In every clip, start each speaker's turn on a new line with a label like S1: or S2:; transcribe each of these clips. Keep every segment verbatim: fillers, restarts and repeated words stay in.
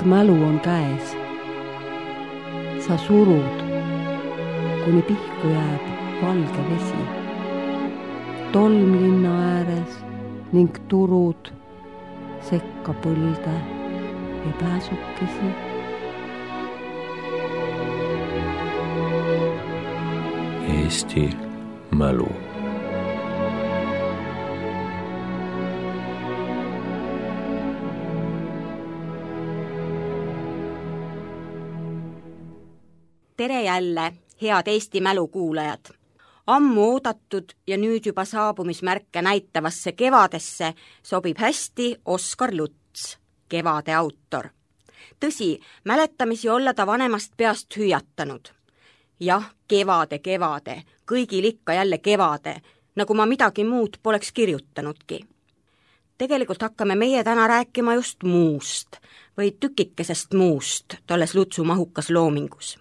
S1: mälu on käes. Sa surud, kuni pihku jääb valge vesi. Tolm linna ääres ning turud sekka põlde ja pääsukesi.
S2: Eesti mälu.
S3: Tere jälle, head Eesti mälu kuulajad! Ammu oodatud ja nüüd juba saabumismärke näitavasse kevadesse sobib hästi Oskar Luts, Kevade autor. Tõsi, mäletamisi olla ta vanemast peast hüüatanud. Jah, kevade, kevade, kõigil ikka jälle kevade, nagu ma midagi muud poleks kirjutanudki. Tegelikult hakkame meie täna rääkima just muust või tükikesest muust tolles Lutsu mahukas loomingus.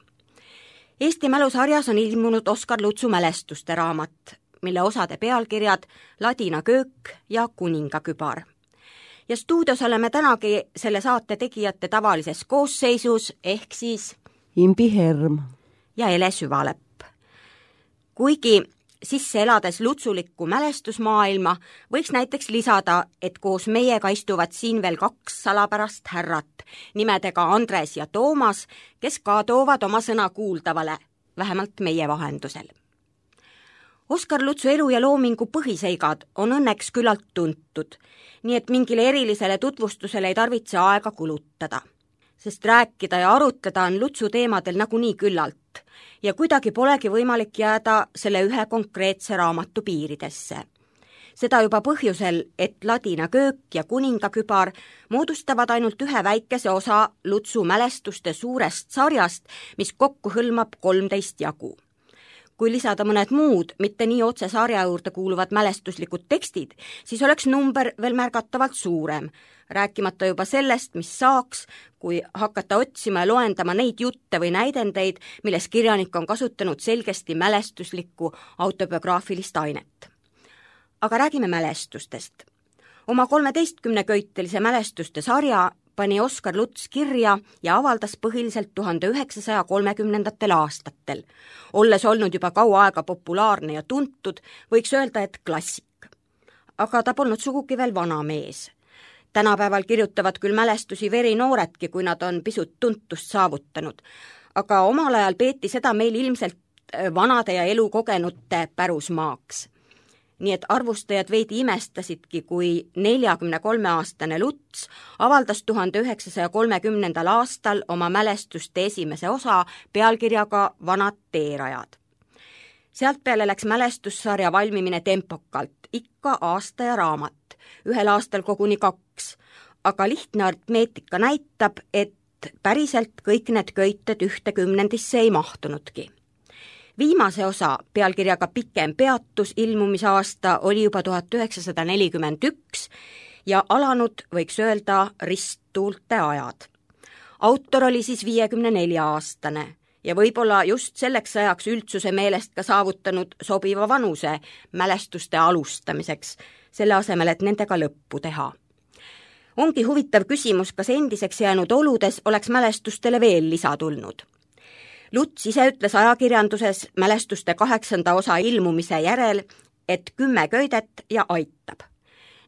S3: Eesti mälusarjas on ilmunud Oskar Lutsu mälestuste raamat, mille osade pealkirjad Ladina köök ja Kuningakübar. Ja stuudios oleme tänagi selle saate tegijate tavalises koosseisus, ehk siis
S1: Imbi Herm
S3: ja Ele Süvalepp. Kuigi sisse elades lutsulikku mälestusmaailma, võiks näiteks lisada, et koos meiega istuvad siin veel kaks salapärast härrat, nimedega Andres ja Toomas, kes ka toovad oma sõna kuuldavale, vähemalt meie vahendusel. Oskar Lutsu elu ja loomingu põhiseigad on õnneks küllalt tuntud, nii et mingile erilisele tutvustusele ei tarvitse aega kulutada, sest rääkida ja arutleda on Lutsu teemadel nagunii küllalt ja kuidagi polegi võimalik jääda selle ühe konkreetse raamatu piiridesse. Seda juba põhjusel, et Ladina köök ja Kuningakübar moodustavad ainult ühe väikese osa Lutsu mälestuste suurest sarjast, mis kokku hõlmab kolmteist jagu. Kui lisada mõned muud, mitte nii otse sarja juurde kuuluvad mälestuslikud tekstid, siis oleks number veel märgatavalt suurem, rääkimata juba sellest, mis saaks, kui hakata otsima ja loendama neid jutte või näidendeid, milles kirjanik on kasutanud selgesti mälestuslikku autobiograafilist ainet. Aga räägime mälestustest. Oma kolmeteistkümneköitelise mälestuste sarja pani Oskar Luts kirja ja avaldas põhiliselt tuhande üheksasaja kolmekümnendatel aastatel. Olles olnud juba kaua aega populaarne ja tuntud, võiks öelda, et klassik. Aga ta polnud sugugi veel vana mees. Tänapäeval kirjutavad küll mälestusi verinooredki, kui nad on pisut tuntust saavutanud, aga omal ajal peeti seda meil ilmselt vanade ja elukogenute pärusmaaks. Nii et arvustajad veidi imestasidki, kui neljakümne kolme aastane Luts avaldas tuhande üheksasaja kolmekümnendal aastal oma mälestuste esimese osa pealkirjaga Vanad teerajad. Sealt peale läks mälestussarja valmimine tempokalt, ikka aasta ja raamat, ühel aastal koguni kaks, aga lihtne aritmeetika näitab, et päriselt kõik need köited ühte kümnendisse ei mahtunudki. Viimase osa pealkirjaga Pikem peatus ilmumisaasta oli juba tuhat üheksasada nelikümmend üks ja alanud, võiks öelda, risttuulte ajad. Autor oli siis viiekümne nelja aastane ja võib-olla just selleks ajaks üldsuse meelest ka saavutanud sobiva vanuse mälestuste alustamiseks, selle asemel, et nendega lõppu teha. Ongi huvitav küsimus, kas endiseks jäänud oludes oleks mälestustele veel lisa tulnud. Luts ise ütles ajakirjanduses mälestuste kaheksanda osa ilmumise järel, et kümme köidet ja aitab.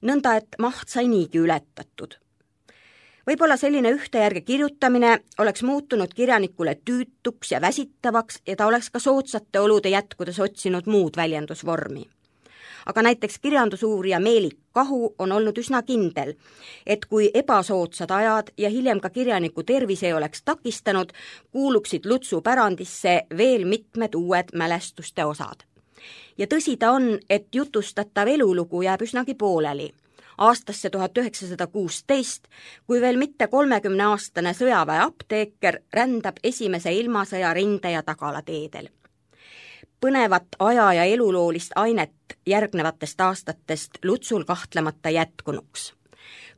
S3: Nõnda, et maht sai niigi ületatud. Võib-olla selline ühte järge kirjutamine oleks muutunud kirjanikule tüütuks ja väsitavaks ja ta oleks ka soodsate olude jätkudes otsinud muud väljendusvormi. Aga näiteks kirjandusuurija Meelik Kahu on olnud üsna kindel, et kui ebasoodsad ajad ja hiljem ka kirjaniku tervis ei oleks takistanud, kuuluksid Lutsu pärandisse veel mitmed uued mälestuste osad. Ja tõsi ta on, et jutustatav elulugu jääb üsnagi pooleli. Aastasse tuhat üheksasada kuusteist, kui veel mitte kolmekümneaastane sõjaväe apteeker rändab esimese ilmasõja rinde- ja tagalateedel. Põnevat aja- ja eluloolist ainet järgnevatest aastatest Lutsul kahtlemata jätkunuks.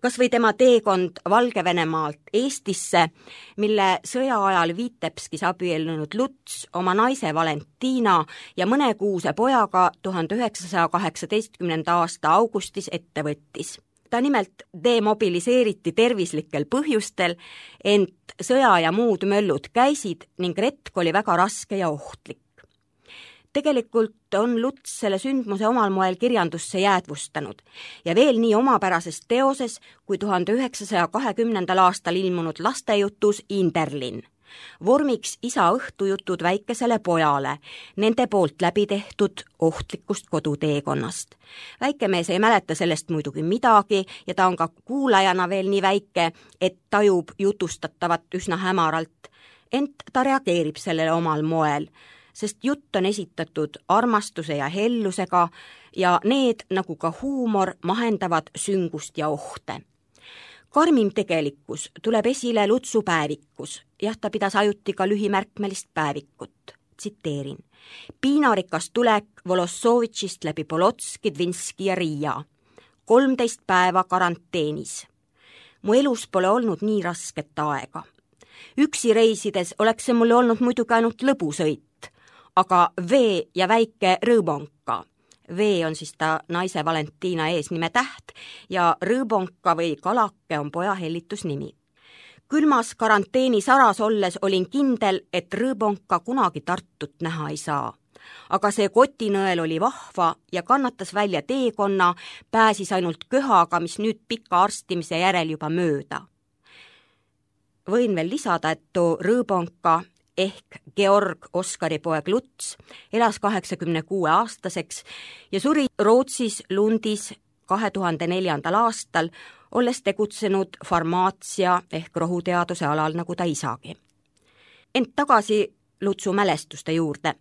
S3: Kas või tema teekond Valgevenemaalt Eestisse, mille sõja ajal Vitebskis abiellunud Luts oma naise Valentina ja mõnekuuse pojaga tuhande üheksasaja kaheksateistkümnenda aasta augustis ette võttis. ta nimelt demobiliseeriti tervislikel põhjustel, ent sõja ja muud möllud käisid ning retk oli väga raske ja ohtlik. Tegelikult on Luts selle sündmuse omal moel kirjandusse jäädvustanud ja veel nii omapärases teoses kui tuhande üheksasaja kahekümnendal aastal ilmunud lastejutus Inderlin. Vormiks isa õhtujutud väikesele pojale, nende poolt läbi tehtud ohtlikust koduteekonnast. Väikemees ei mäleta sellest muidugi midagi ja ta on ka kuulajana veel nii väike, et tajub jutustatavat üsna hämaralt, ent ta reageerib sellele omal moel, sest jutt on esitatud armastuse ja hellusega ja need, nagu ka huumor, mahendavad süngust ja ohte. Karmim tegelikkus tuleb esile Lutsu päevikus. Jah, ta pidas ajuti ka lühimärkmelist päevikut. Tsiteerin. Piinarikas tulek Volossovitšist läbi Polotski, Dvinski ja Riia. kolmteist päeva karanteenis. Mu elus pole olnud nii rasket aega. Üksi reisides oleks see mulle olnud muidugi ainult lõbusõit, aga vee ja väike rõõbonka. Vee on siis ta naise Valentiina eesnime täht ja rõõbonka või kalake on poja hellitusnimi. Külmas karanteeni saras olles olin kindel, et rõõbonka kunagi Tartut näha ei saa. Aga see kotinõel oli vahva ja kannatas välja teekonna, pääsis ainult köhaga, mis nüüd pika arstimise järel juba mööda. Võin veel lisada, et too rõõbonka ehk Georg Oskari poeg Luts elas kaheksakümne kuue aastaseks ja suri Rootsis Lundis kahe tuhande neljandal aastal, olles tegutsenud farmaatsia ehk rohuteaduse alal nagu ta isagi. Ent tagasi Lutsu mälestuste juurde.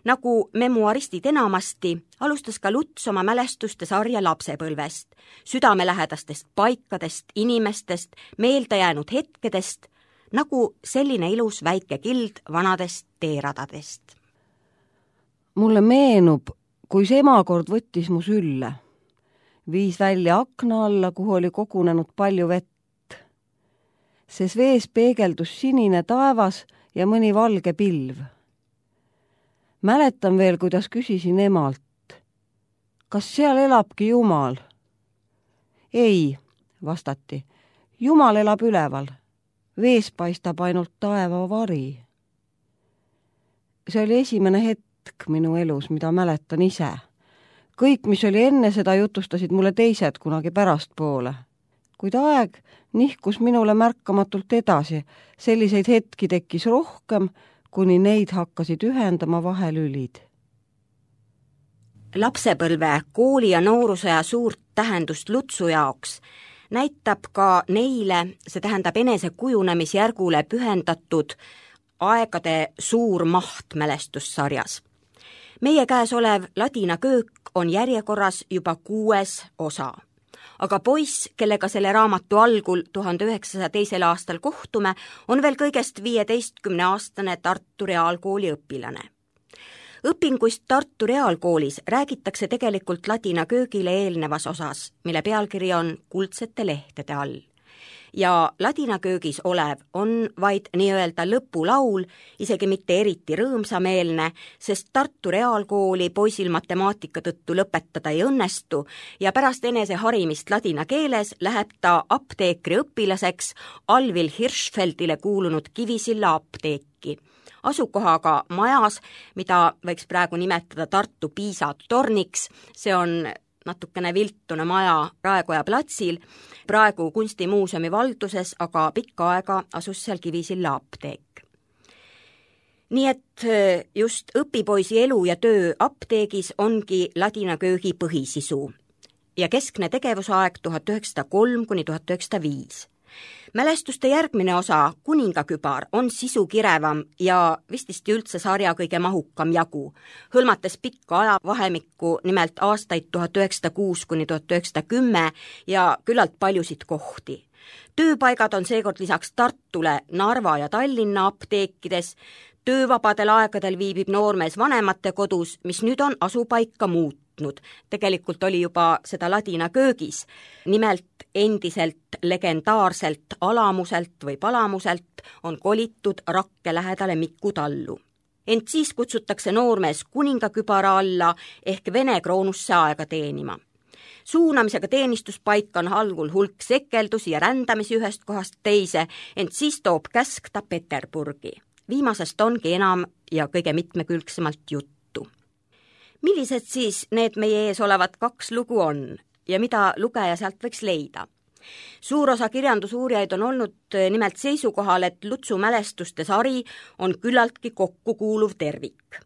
S3: Nagu memuaristid enamasti, alustas ka Luts oma mälestuste sarja lapsepõlvest, südamelähedastest paikadest, inimestest, meelde jäänud hetkedest, nagu selline ilus väike kild vanadest teeradadest.
S1: Mulle meenub, kui see emakord võttis mu sülle. Viis välja akna alla, kuhu oli kogunenud palju vett. Ses vees peegeldus sinine taevas ja mõni valge pilv. Mäletan veel, kuidas küsisin emalt, kas seal elabki Jumal? Ei, vastati, Jumal elab üleval. Vees paistab ainult taeva vari. See oli esimene hetk minu elus, mida mäletan ise. Kõik, mis oli enne seda, jutustasid mulle teised kunagi pärastpoole. Kuid aeg nihkus minule märkamatult edasi. Selliseid hetki tekkis rohkem, kuni neid hakkasid ühendama vahelülid.
S3: Lapsepõlve, kooli ja noorusõja suurt tähendust Lutsu jaoks näitab ka neile, see tähendab enese kujunemisjärgule pühendatud aegade suur maht mälestussarjas. Meie käes olev ladina köök on järjekorras juba kuues osa. Aga poiss, kellega selle raamatu algul tuhande üheksasaja teisel aastal kohtume, on veel kõigest viieteistkümne aastane Tartu Reaalkooli õpilane. Õpinguist Tartu Reaalkoolis räägitakse tegelikult ladina köögile eelnevas osas, mille pealkiri on Kuldsete lehtede all. Ja ladina köögis olev on vaid nii-öelda lõpulaul, isegi mitte eriti rõõmsameelne, sest Tartu Reaalkooli poisil matemaatika tõttu lõpetada ei õnnestu ja pärast enese harimist ladina keeles läheb ta apteekri õpilaseks Alvil Hirschfeldile kuulunud Kivisilla apteeki. Asukohaga majas, mida võiks praegu nimetada Tartu Piisa torniks, see on natukene viltune maja Raekoja platsil, praegu kunstimuuseumi valduses, aga pikka aega asus seal Kivisilla apteek. Nii et just õpipoisi elu ja töö apteegis ongi ladina köögi põhisisu ja keskne tegevusaeg tuhat üheksasada kolm kuni tuhat üheksasada viis. Mälestuste järgmine osa, Kuningakübar, on sisukirevam ja vististi üldse sarja kõige mahukam jagu, hõlmates pikka ajavahemikku, nimelt aastaid tuhat üheksasada kuus kuni tuhat üheksasada kümme ja küllalt paljusid kohti. Tööpaigad on seekord lisaks Tartule Narva ja Tallinna apteekides, töövabadel aegadel viibib noormees vanemate kodus, mis nüüd on asupaika muutnud. Tegelikult oli juba seda ladina köögis, nimelt endiselt legendaarselt Alamuselt või Palamuselt on kolitud Rakke lähedale Miku tallu. Ent siis kutsutakse noormees kuningakübara alla ehk Vene kroonusse aega teenima. Suunamisega teenistuspaika on algul hulk sekeldusi ja rändamisi ühest kohast teise, ent siis toob käsk ta Peterburgi. Viimasest ongi enam ja kõige mitmekülgsemalt juttu. Millised siis need meie ees olevad kaks lugu on ja mida lugeja sealt võiks leida? Suur osa kirjandusuurijaid on olnud nimelt seisukohal, et Lutsu mälestuste sari on küllaltki kokkukuuluv tervik.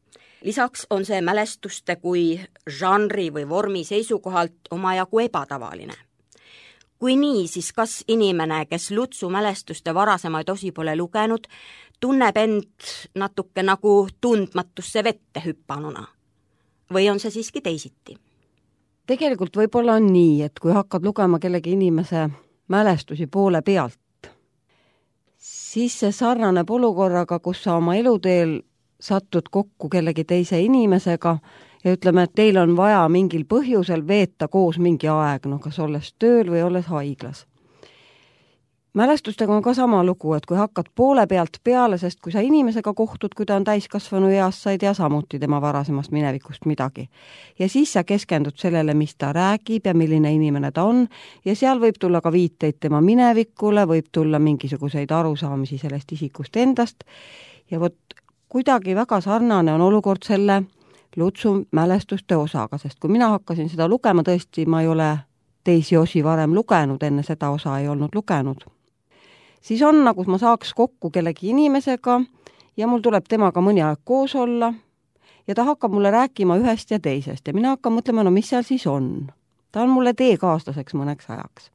S3: Lisaks on see mälestuste kui žanri või vormi seisukohalt omajagu ebatavaline. Kui nii, siis kas inimene, kes Lutsu mälestuste varasemaid osi pole lugenud, tunneb end natuke nagu tundmatusse vette hüppanuna? Või on see siiski teisiti?
S1: Tegelikult võib-olla on nii, et kui hakkad lugema kellegi inimese mälestusi poole pealt, siis see sarnaneb olukorraga, kus sa oma eluteel satud kokku kellegi teise inimesega ja ütleme, et teil on vaja mingil põhjusel veeta koos mingi aeg, no kas olles tööl või olles haiglas. Mälestustega on ka sama lugu, et kui hakkad poole pealt peale, sest kui sa inimesega kohtud, kui ta on täiskasvanu eas, sa ei tea samuti tema varasemast minevikust midagi. Ja siis sa keskendud sellele, mis ta räägib ja milline inimene ta on ja seal võib tulla ka viiteid tema minevikule, võib tulla mingisuguseid arusaamisi sellest isikust endast ja vot kuidagi väga sarnane on olukord selle Lutsu mälestuste osaga, sest kui mina hakkasin seda lugema, tõesti ma ei ole teisi osi varem lugenud, enne seda osa ei olnud lugenud. Siis on, nagu ma saaks kokku kellegi inimesega ja mul tuleb temaga mõni aeg koos olla ja ta hakkab mulle rääkima ühest ja teisest ja mina hakkan mõtlema, no mis seal siis on. Ta on mulle teekaaslaseks mõneks ajaks.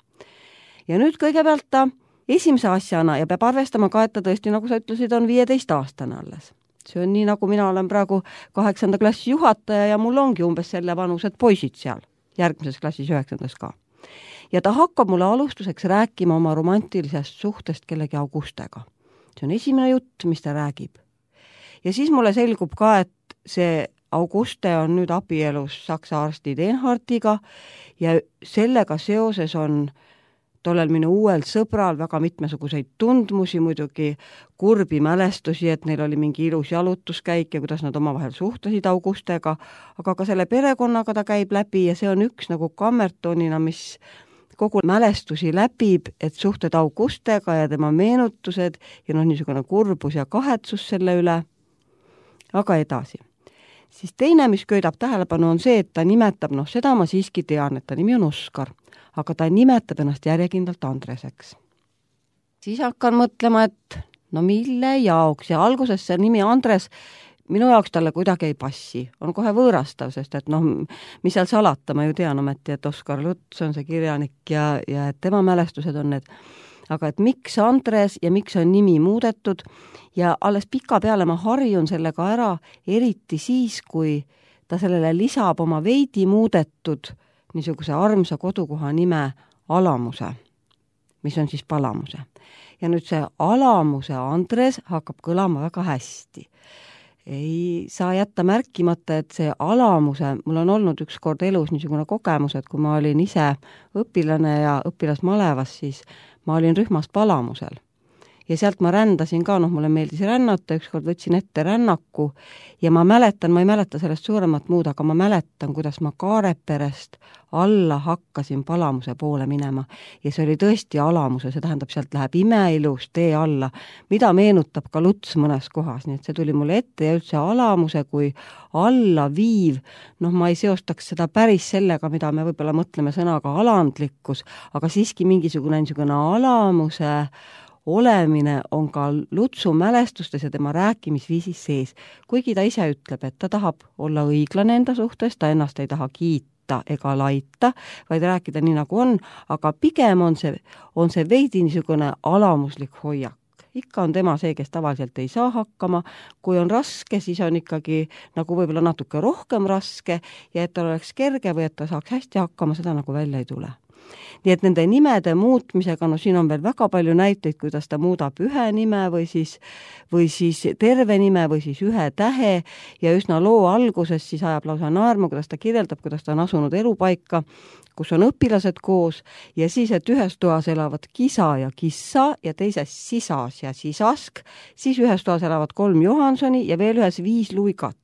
S1: Ja nüüd kõigepealt ta esimese asjana ja peab arvestama ka, et ta tõesti, nagu sa ütlesid, on viieteist aastane alles. See on nii, nagu mina olen praegu kaheksanda klassi juhataja ja mul ongi umbes selle vanused poisid seal, järgmises klassis üheksandas ka. Ja ta hakkab mulle alustuseks rääkima oma romantilisest suhtest kellegi Augustega. See on esimene jutt, mis ta räägib. Ja siis mulle selgub ka, et see Auguste on nüüd abielus saksa arsti Denhartiga ja sellega seoses on tollel minu uuel sõbral väga mitmesuguseid tundmusi, muidugi kurbi mälestusi, et neil oli mingi ilus jalutuskäik ja kuidas nad omavahel suhtlesid Augustega, aga ka selle perekonnaga ta käib läbi ja see on üks nagu kammertonina, mis kogu mälestusi läbib, et suhted Augustega ja tema meenutused ja noh, niisugune kurbus ja kahetsus selle üle. Aga edasi. Siis teine, mis köidab tähelepanu, on see, et ta nimetab, noh seda ma siiski tean, et ta nimi on Oskar, aga ta nimetab ennast järjekindlalt Andreseks. Siis hakkan mõtlema, et no mille jaoks ja alguses see nimi Andres minu jaoks talle kuidagi ei passi, on kohe võõrastav, sest et noh, mis seal salata, ma ju tean ometi, et Oskar Luts on see kirjanik ja, ja et tema mälestused on need, aga et miks Andres ja miks on nimi muudetud ja alles pika peale ma harjun sellega ära, eriti siis, kui ta sellele lisab oma veidi muudetud niisuguse armsa kodukoha nime Alamuse, mis on siis Palamuse. Ja nüüd see Alamuse Andres hakkab kõlama väga hästi. Ei saa jätta märkimata, et see Alamuse, mul on olnud üks kord elus niisugune kogemus, et kui ma olin ise õpilane ja õpilasmalevas, siis ma olin rühmast Palamusel. Ja sealt ma rändasin ka, noh, mulle meeldis rännata, ükskord võtsin ette rännaku ja ma mäletan, ma ei mäleta sellest suuremat muud, aga ma mäletan, kuidas ma Kaareperest alla hakkasin Palamuse poole minema. Ja see oli tõesti Alamuse, see tähendab, sealt läheb imeilus tee alla, mida meenutab ka Luts mõnes kohas, nii et see tuli mulle ette ja üldse Alamuse kui alla viiv, noh, ma ei seostaks seda päris sellega, mida me võib-olla mõtleme sõnaga alandlikkus, aga siiski mingisugune niisugune Alamuse olemine on ka Lutsu mälestustes ja tema rääkimisviisis sees. Kuigi ta ise ütleb, et ta tahab olla õiglane enda suhtes, ta ennast ei taha kiita ega laita, vaid rääkida nii nagu on, aga pigem on see, on see veidi niisugune alamuslik hoiak. Ikka on tema see, kes tavaliselt ei saa hakkama, kui on raske, siis on ikkagi nagu võib-olla natuke rohkem raske ja et ta oleks kerge või et ta saaks hästi hakkama, seda nagu välja ei tule. Nii et nende nimede muutmisega, no siin on veel väga palju näiteid, kuidas ta muudab ühe nime või siis, või siis terve nime või siis ühe tähe ja üsna loo alguses siis ajab lausa naerma, kuidas ta kirjeldab, kuidas ta on asunud elupaika, kus on õpilased koos ja siis, et ühes toas elavad kisa ja kissa ja teises sisas ja sisask, siis ühes toas elavad kolm Johansoni ja veel ühes viis luigat.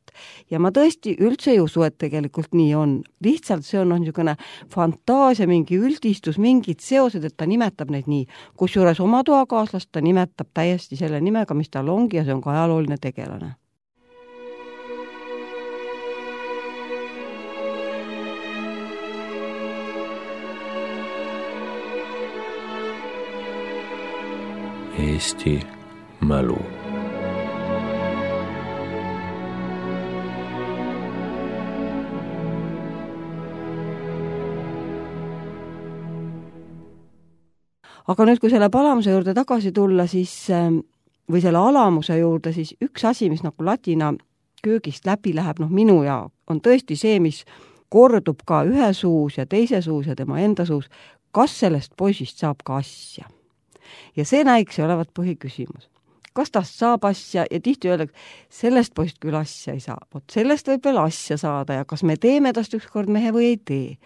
S1: ja ma tõesti üldse ei usu, et tegelikult nii on. Lihtsalt see on, on niisugune fantaasia, mingi üldistus, mingid seosed, et ta nimetab neid nii. Kusjuures oma toakaaslast ta nimetab täiesti selle nimega, mis tal ongi ja see on ka ajalooline tegelane.
S2: Eesti mälu.
S1: Aga nüüd, kui selle palamuse juurde tagasi tulla, siis, või selle alamuse juurde, siis üks asi, mis nagu ladina köögist läbi läheb, noh minu ja on tõesti see, mis kordub ka ühe suus ja teise suus ja tema enda suus, kas sellest poisist saab ka asja. Ja see näiks olevat põhiküsimus. Kas tast saab asja ja tihti öeldakse, sellest poist küll asja ei saa. Vot sellest võib veel asja saada ja kas me teeme tast ükskord mehe või ei tee.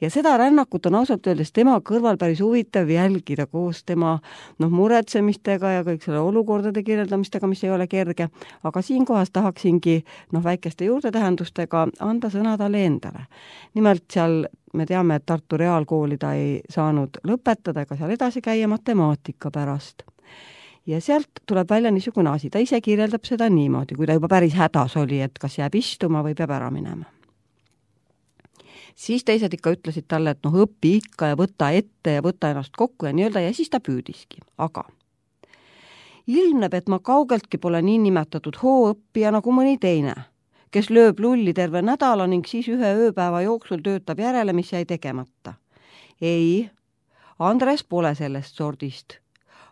S1: Ja seda rännakut on ausalt öeldes tema kõrval päris huvitav jälgida koos tema noh, muretsemistega ja kõik selle olukordade kirjeldamistega, mis ei ole kerge. Aga siinkohas tahaksingi noh, väikeste juurdetähendustega anda sõna talle endale. Nimelt seal me teame, et Tartu Reaalkooli ta ei saanud lõpetada ega seal edasi käia matemaatika pärast. Ja sealt tuleb välja niisugune asi, ta ise kirjeldab seda niimoodi, kui ta juba päris hädas oli, et kas jääb istuma või peab ära minema. Siis teised ikka ütlesid talle, et noh, õpi ikka ja võta ette ja võta ennast kokku ja nii-öelda ja siis ta püüdiski. Aga ilmneb, et ma kaugeltki pole nii nimetatud hooõppija nagu mõni teine, kes lööb lulli terve nädala ning siis ühe ööpäeva jooksul töötab järele, mis jäi tegemata. Ei, Andres pole sellest sordist.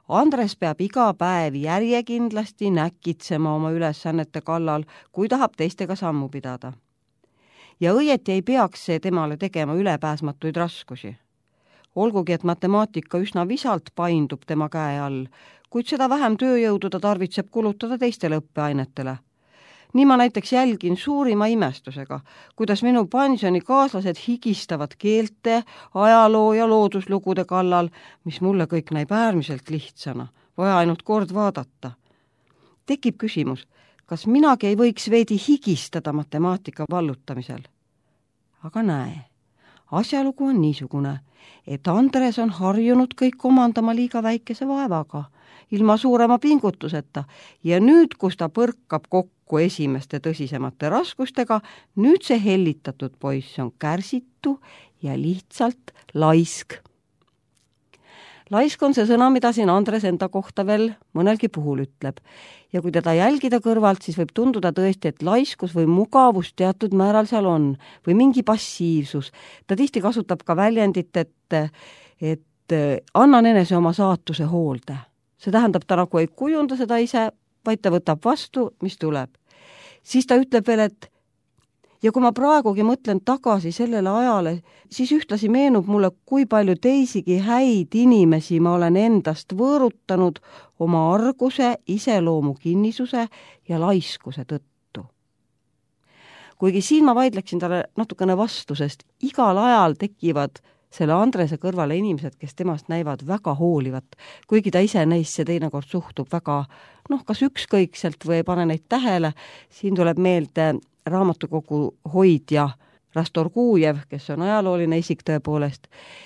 S1: Andres peab iga päev järjekindlasti näkitsema oma ülesannete kallal, kui tahab teistega sammu pidada. Ja õieti ei peaks see temale tegema ülepääsmatuid raskusi. Olgugi, et matemaatika üsna visalt paindub tema käe all, kuid seda vähem tööjõudu ta tarvitseb kulutada teistele õppeainetele. Nii ma näiteks jälgin suurima imestusega, kuidas minu pensioni kaaslased higistavad keelte, ajaloo ja looduslugude kallal, mis mulle kõik näib äärmiselt lihtsana, vaja ainult kord vaadata. Tekib küsimus, kas minagi ei võiks veidi higistada matemaatika vallutamisel? Aga näe, asjalugu on niisugune, et Andres on harjunud kõik omandama liiga väikese vaevaga, ilma suurema pingutuseta ja nüüd, kus ta põrkab kokku esimeste tõsisemate raskustega, nüüd see hellitatud poiss on kärsitu ja lihtsalt laisk. Laisk on see sõna, mida siin Andres enda kohta veel mõnelgi puhul ütleb. Ja kui teda jälgida kõrvalt, siis võib tunduda tõesti, et laiskus või mugavus teatud määral seal on või mingi passiivsus. Ta tihti kasutab ka väljendit, et, et annan enese oma saatuse hoolde. See tähendab, ta nagu ei kujunda seda ise, vaid ta võtab vastu, mis tuleb. Siis ta ütleb veel, et ja kui ma praegugi mõtlen tagasi sellele ajale, siis ühtlasi meenub mulle, kui palju teisigi häid inimesi ma olen endast võõrutanud oma arguse, iseloomu kinnisuse ja laiskuse tõttu. Kuigi siin ma vaidleksin talle natukene vastu, sest igal ajal tekivad selle Andrese kõrvale inimesed, kes temast näivad väga hoolivat, kuigi ta ise neisse teinekord suhtub väga, noh, kas ükskõikselt või ei pane neid tähele. Siin tuleb meelde raamatukogu hoidja Rastorgujev, kes on ajalooline isik tõepoolest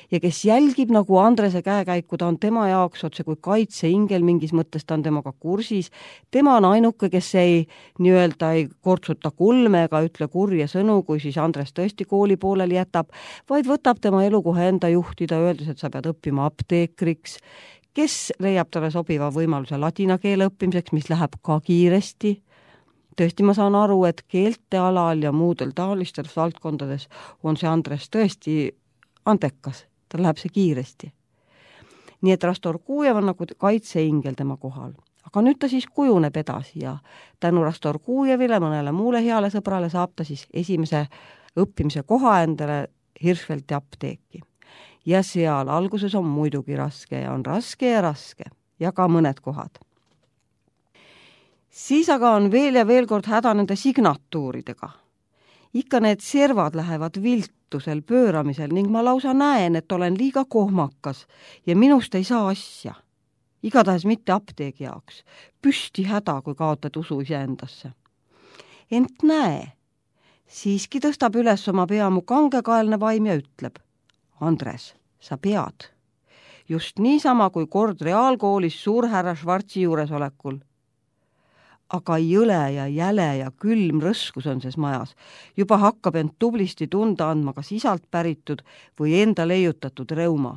S1: ja kes jälgib nagu Andrese käekäiku, ta on tema jaoks otse kui kaitseingel, mingis mõttes ta on temaga kursis. Tema on ainuke, kes ei nii-öelda ei kortsuta kulme ega ütle kurje sõnu, kui siis Andres tõesti kooli pooleli jätab, vaid võtab tema elukoha enda juhtida, öeldes, et sa pead õppima apteekriks, kes leiab talle sobiva võimaluse ladina keele õppimiseks, mis läheb ka kiiresti. Tõesti, ma saan aru, et keelte alal ja muudel taolistes valdkondades on see Andres tõesti andekas, tal läheb see kiiresti. Nii et Rastorgujev on nagu kaitseingel tema kohal. Aga nüüd ta siis kujuneb edasi ja tänu Rastorgujevile, mõnele muule heale sõbrale saab ta siis esimese õppimise koha endale Hirschfeldti apteeki. Ja seal alguses on muidugi raske ja on raske ja raske ja ka mõned kohad. Siis aga on veel ja veel kord häda nende signatuuridega. Ikka need servad lähevad viltusel pööramisel ning ma lausa näen, et olen liiga kohmakas ja minust ei saa asja. Igatahes mitte apteegi jaoks. Püsti häda, kui kaotad usu iseendasse. Ent näe, siiski tõstab üles oma pea mu kangekaelne vaim ja ütleb: Andres, sa pead. Just niisama kui kord reaalkoolis suurhärra Schwarzi juuresolekul. Aga jõle ja jäle ja külm rõskus on ses majas. Juba hakkab end tublisti tunda andma kas isalt päritud või enda leiutatud reuma.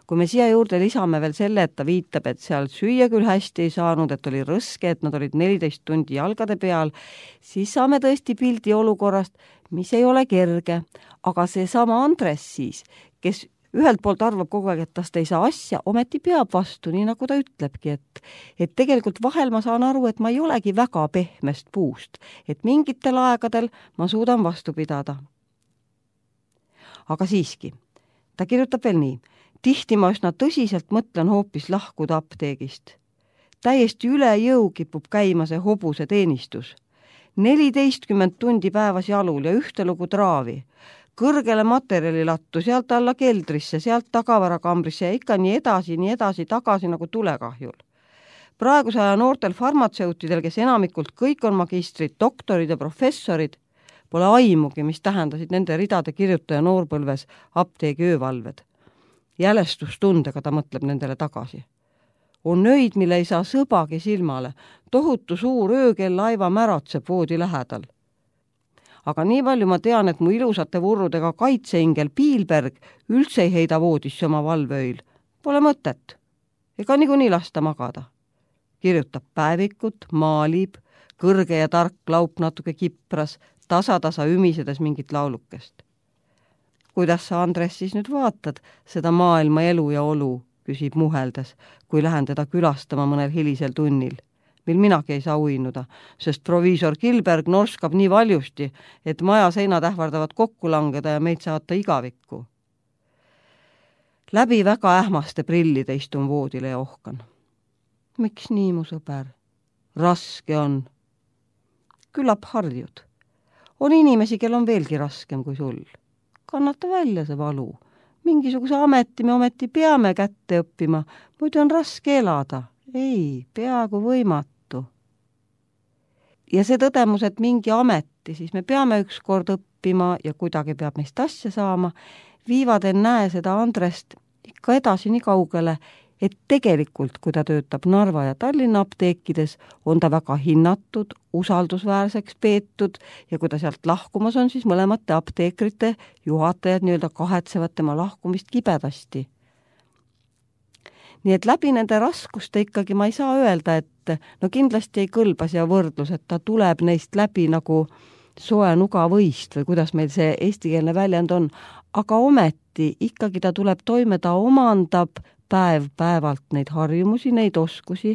S1: Kui me siia juurde lisame veel selle, et ta viitab, et seal süüa küll hästi ei saanud, et oli rõske, et nad olid neliteist tundi jalgade peal, siis saame tõesti pildi olukorrast, mis ei ole kerge. Aga see sama Andres siis, kes ühelt poolt arvab kogu aeg, et tast ei saa asja, ometi peab vastu, nii nagu ta ütlebki, et, et tegelikult vahel ma saan aru, et ma ei olegi väga pehmest puust, et mingitel aegadel ma suudan vastu pidada. Aga siiski, ta kirjutab veel nii: tihti ma üsna tõsiselt mõtlen hoopis lahkuda apteegist. Täiesti üle jõu kipub käima see hobuse teenistus. neliteistkümmend tundi päevas jalul ja ühte lugu traavi. Kõrgele materjalilattu, sealt alla keldrisse, sealt tagavarakambrisse ja ikka nii edasi, nii edasi, tagasi nagu tulekahjul. Praeguse aja noortel farmatseutidel, kes enamikult kõik on magistrid, doktorid ja professorid, pole aimugi, mis tähendasid nende ridade kirjutaja noorpõlves apteegi öövalved. Jälestustundega ta mõtleb nendele tagasi. On öid, mille ei saa sõbagi silmale, tohutu suur öökell laiva märatseb voodi lähedal. Aga nii palju ma tean, et mu ilusate vurrudega kaitseingel Piilberg üldse ei heida voodisse oma valveöil. Pole mõtet. Ega niikuinii lasta magada. Kirjutab päevikut, maalib, kõrge ja tark laup natuke kipras, tasa-tasa ümisedes mingit laulukest. Kuidas sa, Andres, siis nüüd vaatad seda maailma elu ja olu, küsib muheldes, kui lähen teda külastama mõnel hilisel tunnil, mil minagi ei saa uinuda, sest proviisor Kilberg norskab nii valjusti, et maja seinad ähvardavad kokku langeda ja meid saata igavikku. Läbi väga ähmaste prillide istun voodile ja ohkan. Miks nii, mu sõber? Raske on. Küllap harjud. On inimesi, kel on veelgi raskem kui sul. Kannata välja see valu. Mingisuguse ameti me ometi peame kätte õppima, muidu on raske elada. Ei, peaaegu võimatu. Ja see tõdemus, et mingi ameti, siis me peame ükskord õppima ja kuidagi peab meist asja saama, viivad en näe seda Andrest ikka edasi nii kaugele, et tegelikult, kui ta töötab Narva ja Tallinna apteekides, on ta väga hinnatud, usaldusväärseks peetud ja kui ta sealt lahkumas on, siis mõlemate apteekrite juhatajad nii-öelda kahetsevad tema lahkumist kibedasti. Nii et läbi nende raskuste ikkagi ma ei saa öelda, et no kindlasti ei kõlba siia võrdlus, et ta tuleb neist läbi nagu soe nugavõist või kuidas meil see eestikeelne väljend on, aga ometi ikkagi ta tuleb toime, ta omandab päev päevalt neid harjumusi, neid oskusi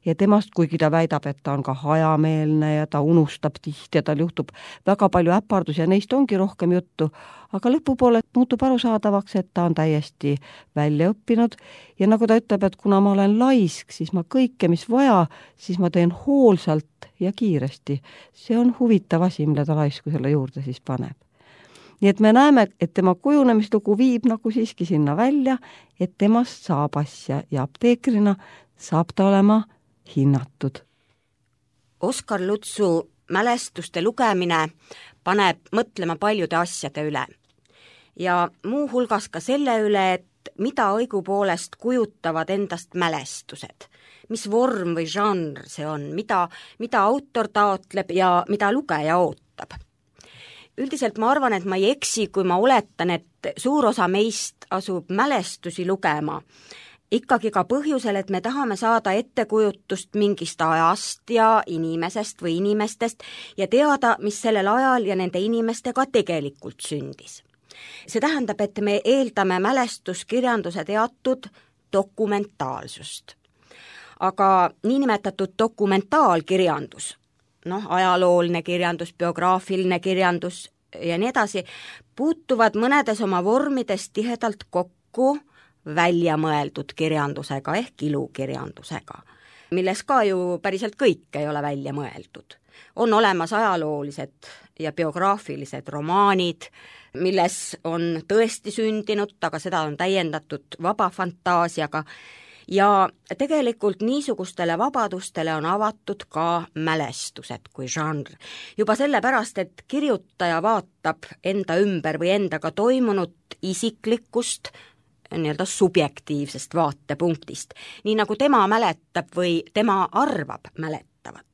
S1: ja temast, kuigi ta väidab, et ta on ka hajameelne ja ta unustab tihti ja tal juhtub väga palju äpardus ja neist ongi rohkem juttu, aga lõpupoole muutub arusaadavaks, et ta on täiesti välja õppinud ja nagu ta ütleb, et kuna ma olen laisk, siis ma kõike, mis vaja, siis ma teen hoolsalt ja kiiresti. See on huvitav asi, mille ta laiskusele juurde siis paneb. Nii et me näeme, et tema kujunemislugu viib nagu siiski sinna välja, et temast saab asja ja apteekrina saab ta olema hinnatud.
S3: Oskar Lutsu mälestuste lugemine paneb mõtlema paljude asjade üle. Ja muu hulgas ka selle üle, et mida õigupoolest kujutavad endast mälestused. Mis vorm või žanr see on, mida, mida autor taotleb ja mida lugeja ootab. Üldiselt ma arvan, et ma ei eksi, kui ma oletan, et suur osa meist asub mälestusi lugema. Ikkagi ka põhjusel, et me tahame saada ettekujutust mingist ajast ja inimesest või inimestest ja teada, mis sellel ajal ja nende inimestega tegelikult sündis. See tähendab, et me eeldame mälestuskirjanduse teatud dokumentaalsust. Aga niinimetatud dokumentaalkirjandus, noh, ajalooline kirjandus, biograafiline kirjandus ja nii edasi, puutuvad mõnedes oma vormides tihedalt kokku väljamõeldud kirjandusega ehk ilukirjandusega, milles ka ju päriselt kõik ei ole välja mõeldud. On olemas ajaloolised ja biograafilised romaanid, milles on tõesti sündinud, aga seda on täiendatud vaba fantaasiaga ja tegelikult niisugustele vabadustele on avatud ka mälestused kui žanr. Juba sellepärast, et kirjutaja vaatab enda ümber või endaga toimunut isiklikust, nii-öelda subjektiivsest vaatepunktist, nii nagu tema mäletab või tema arvab mäletavat.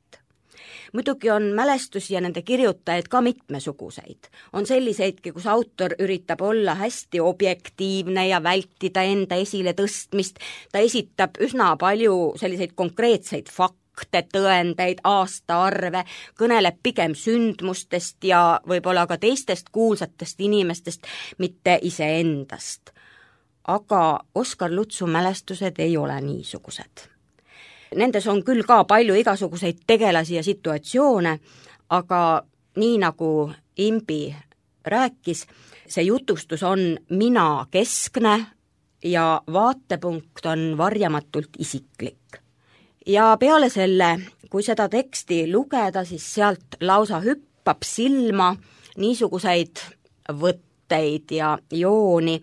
S3: Muidugi on mälestusi ja nende kirjutajaid ka mitmesuguseid. On selliseidki, kus autor üritab olla hästi objektiivne ja vältida enda esile tõstmist. Ta esitab üsna palju selliseid konkreetseid fakte, tõendeid, aastaarve, kõneleb pigem sündmustest ja võib-olla ka teistest kuulsatest inimestest, mitte iseendast. Aga Oskar Lutsu mälestused ei ole niisugused. Nendes on küll ka palju igasuguseid tegelasi ja situatsioone, aga nii nagu Imbi rääkis, see jutustus on mina keskne ja vaatepunkt on varjamatult isiklik. Ja peale selle, kui seda teksti lugeda, siis sealt lausa hüppab silma niisuguseid võtteid ja jooni,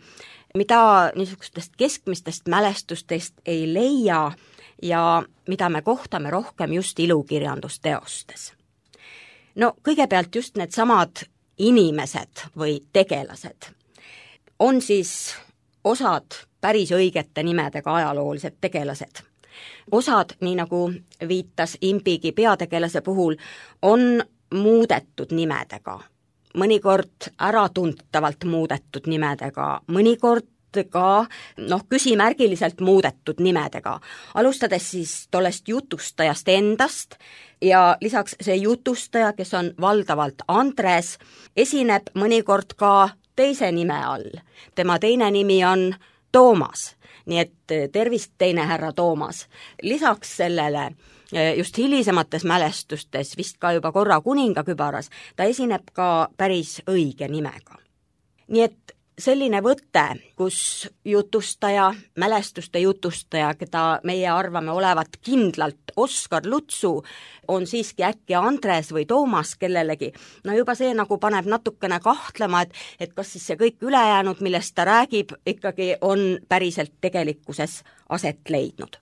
S3: mida niisugustest keskmistest mälestustest ei leia ja mida me kohtame rohkem just ilukirjandusteostes. No kõigepealt just need samad inimesed või tegelased on siis osad päris õigete nimedega ajaloolised tegelased. Osad, nii nagu viitas Imbigi peategelase puhul, on muudetud nimedega, mõnikord äratuntavalt muudetud nimedega, mõnikord ka noh, küsimärgiliselt muudetud nimedega, alustades siis tollest jutustajast endast ja lisaks see jutustaja, kes on valdavalt Andres, esineb mõnikord ka teise nime all. Tema teine nimi on Toomas, nii et tervist teine härra Toomas. Lisaks sellele just hilisemates mälestustes, vist ka juba korra kuningakübaras, ta esineb ka päris õige nimega. Nii et selline võte, kus jutustaja, mälestuste jutustaja, keda meie arvame olevat kindlalt Oskar Lutsu, on siiski äkki Andres või Toomas kellelegi, no juba see nagu paneb natukene kahtlema, et, et kas siis see kõik ülejäänud, millest ta räägib, ikkagi on päriselt tegelikkuses aset leidnud.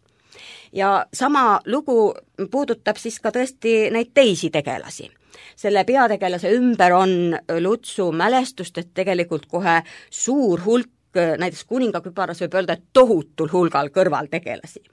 S3: Ja sama lugu puudutab siis ka tõesti neid teisi tegelasi. Selle peategelase ümber on Lutsu mälestustest tegelikult kohe suur hulk, näiteks kuningakübaras võib öelda, et tohutul hulgal kõrvaltegelasi.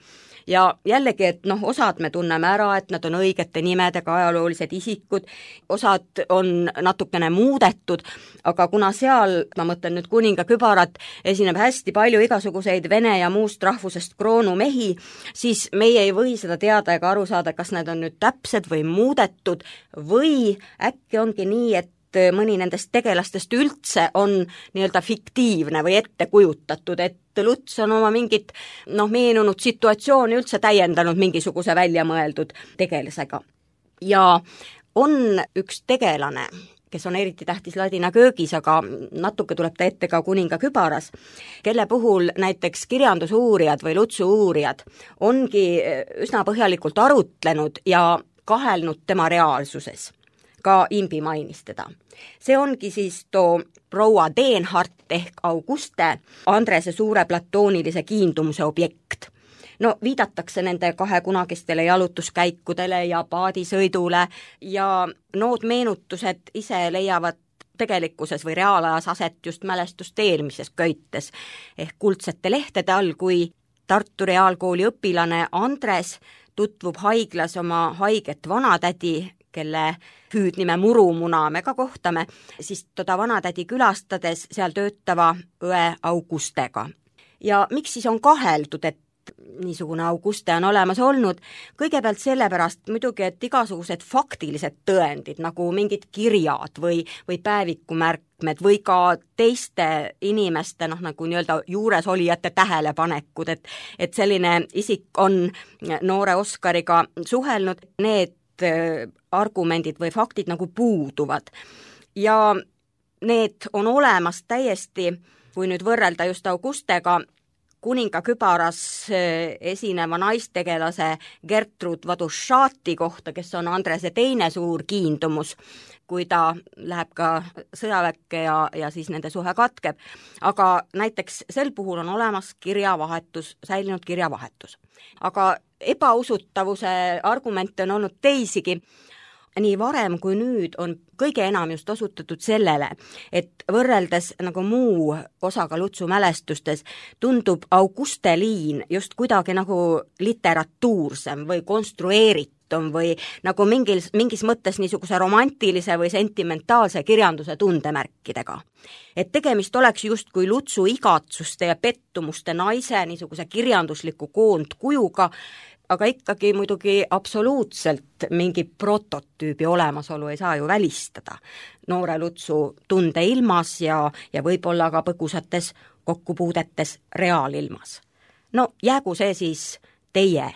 S3: Ja jällegi, et noh, osad me tunneme ära, et nad on õigete nimedega ajaloolised isikud, osad on natukene muudetud, aga kuna seal, ma mõtlen nüüd kuningakübarat, esineb hästi palju igasuguseid vene ja muust rahvusest kroonumehi, siis meie ei või seda teada ega aru saada, kas need on nüüd täpsed või muudetud või äkki ongi nii, et mõni nendest tegelastest üldse on nii-öelda fiktiivne või ette kujutatud, et Luts on oma mingit noh, meenunud situatsiooni üldse täiendanud mingisuguse väljamõeldud tegelasega. Ja on üks tegelane, kes on eriti tähtis ladina köögis, aga natuke tuleb ta ette ka kuningakübaras, kelle puhul näiteks kirjandusuurijad või Lutsu uurijad ongi üsna põhjalikult arutlenud ja kahelnud tema reaalsuses. Ka Imbi mainis teda. See ongi siis too proua Denhart ehk Auguste, Andrese suure platoonilise kiindumuse objekt. No viidatakse nende kahe kunagistele jalutuskäikudele ja paadisõidule ja nood meenutused ise leiavad tegelikkuses või reaalajas aset just mälestuste eelmises köites ehk kuldsete lehtede all, kui Tartu Reaalkooli õpilane Andres tutvub haiglas oma haiget vanatädi, kelle hüüdnime Murumuna me ka kohtame, siis toda vanatädi külastades seal töötava õe Augustega. Ja miks siis on kaheldud, et niisugune Auguste on olemas olnud? Kõigepealt sellepärast muidugi, et igasugused faktilised tõendid, nagu mingid kirjad või, või päevikumärkmed või ka teiste inimeste, noh nagu nii-öelda juuresolijate tähelepanekud, et, et selline isik on noore Oskariga suhelnud, need argumendid või faktid nagu puuduvad. Ja need on olemas täiesti, kui nüüd võrrelda just Augustega, Kuninga kübaras esineva naistegelase Gertrud Vadušati kohta, kes on Andrese teine suur kiindumus, kui ta läheb ka sõjaväkke ja, ja siis nende suhe katkeb. Aga näiteks sel puhul on olemas kirjavahetus, säilinud kirjavahetus. Aga ebausutavuse argumente on olnud teisigi. Nii varem kui nüüd on kõige enam just osutatud sellele, et võrreldes nagu muu osaga Lutsu mälestustes tundub Auguste liin just kuidagi nagu literatuursem või konstrueeritum või nagu mingil, mingis mõttes niisuguse romantilise või sentimentaalse kirjanduse tundemärkidega. Et tegemist oleks just kui Lutsu igatsuste ja pettumuste naise niisuguse kirjandusliku koondkujuga, aga ikkagi muidugi absoluutselt mingi prototüübi olemasolu ei saa ju välistada. Noore Lutsu tundeilmas ja, ja võib-olla ka põgusates kokkupuudetes reaalilmas. No jäägu see siis teie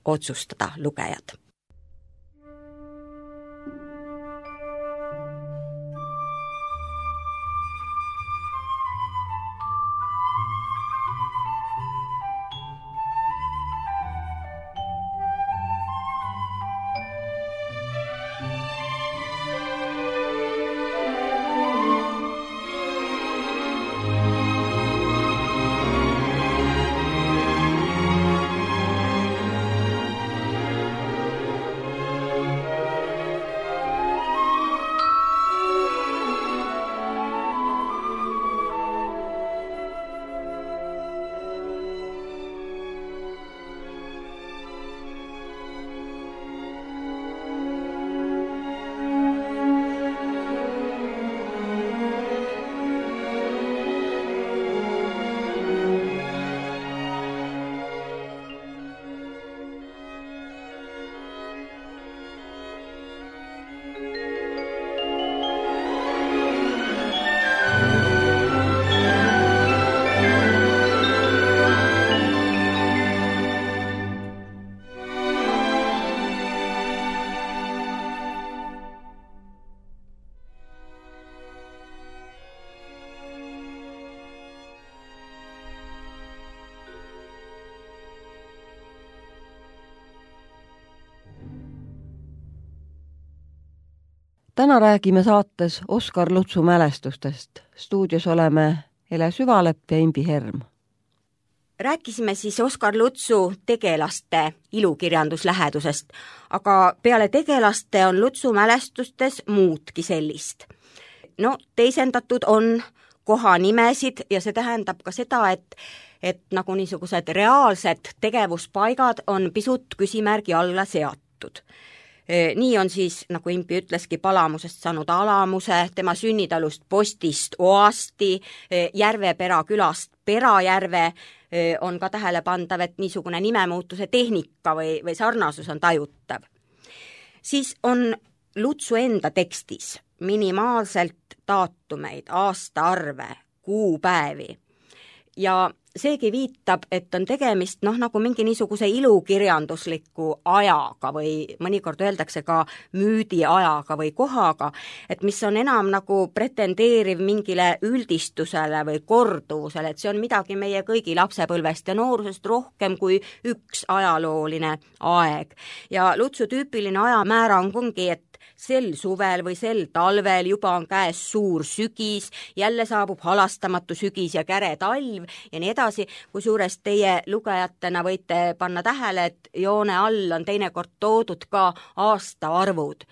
S3: otsustada, lugejad.
S1: Täna räägime saates Oskar Lutsu mälestustest. Stuudios oleme Ele Süvalepp ja Imbi Herm.
S3: Rääkisime siis Oskar Lutsu tegelaste ilukirjanduslähedusest, aga peale tegelaste on Lutsu mälestustes muudki sellist. No, teisendatud on kohanimesid ja see tähendab ka seda, et, et nagu niisugused reaalsed tegevuspaigad on pisut küsimärgi alla seatud. Nii on siis, nagu Impi ütleski, Palamusest saanud Alamuse, tema sünnitalust Postist Oasti, Järvepera külast Perajärve on ka tähelepandav, et niisugune nimemuutuse tehnika või, või sarnasus on tajutav. Siis on Lutsu enda tekstis minimaalselt daatumeid, aastaarve, kuupäevi ja seegi viitab, et on tegemist noh, nagu mingi niisuguse ilukirjandusliku ajaga või mõnikord öeldakse ka müüdi ajaga või kohaga, et mis on enam nagu pretendeeriv mingile üldistusele või korduvusele, et see on midagi meie kõigi lapsepõlvest ja noorusest rohkem kui üks ajalooline aeg. Ja Lutsu tüüpiline ajamäärang ongi, et sel suvel või sel talvel juba on käes suur sügis, jälle saabub halastamatu sügis ja käre talv ja nii edasi, kusjuures teie lugejatena võite panna tähele, et joone all on teinekord toodud ka aastaarvud.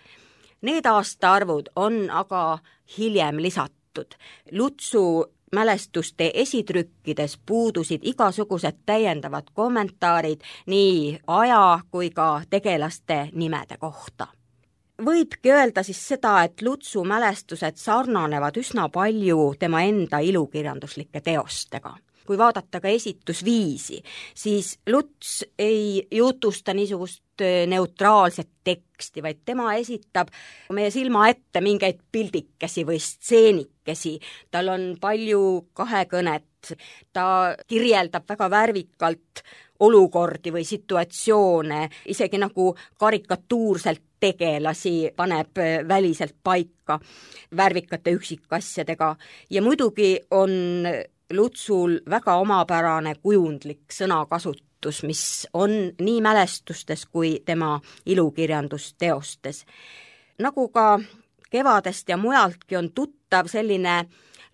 S3: Need aastaarvud on aga hiljem lisatud. Lutsu mälestuste esitrükkides puudusid igasugused täiendavad kommentaarid nii aja kui ka tegelaste nimede kohta. Võibki öelda siis seda, et Lutsu mälestused sarnanevad üsna palju tema enda ilukirjanduslike teostega. Kui vaadata ka esitusviisi, siis Luts ei jutusta niisugust neutraalset teksti, vaid tema esitab meie silma ette mingeid pildikesi või stseenikesi. Tal on palju kahekõnet, ta kirjeldab väga värvikalt olukordi või situatsioone, isegi nagu karikatuurselt tegelasi paneb väliselt paika värvikate üksikasjadega ja muidugi on Lutsul väga omapärane kujundlik sõnakasutus, mis on nii mälestustes kui tema ilukirjandusteostes. Nagu ka Kevadest ja mujaltki on tuttav selline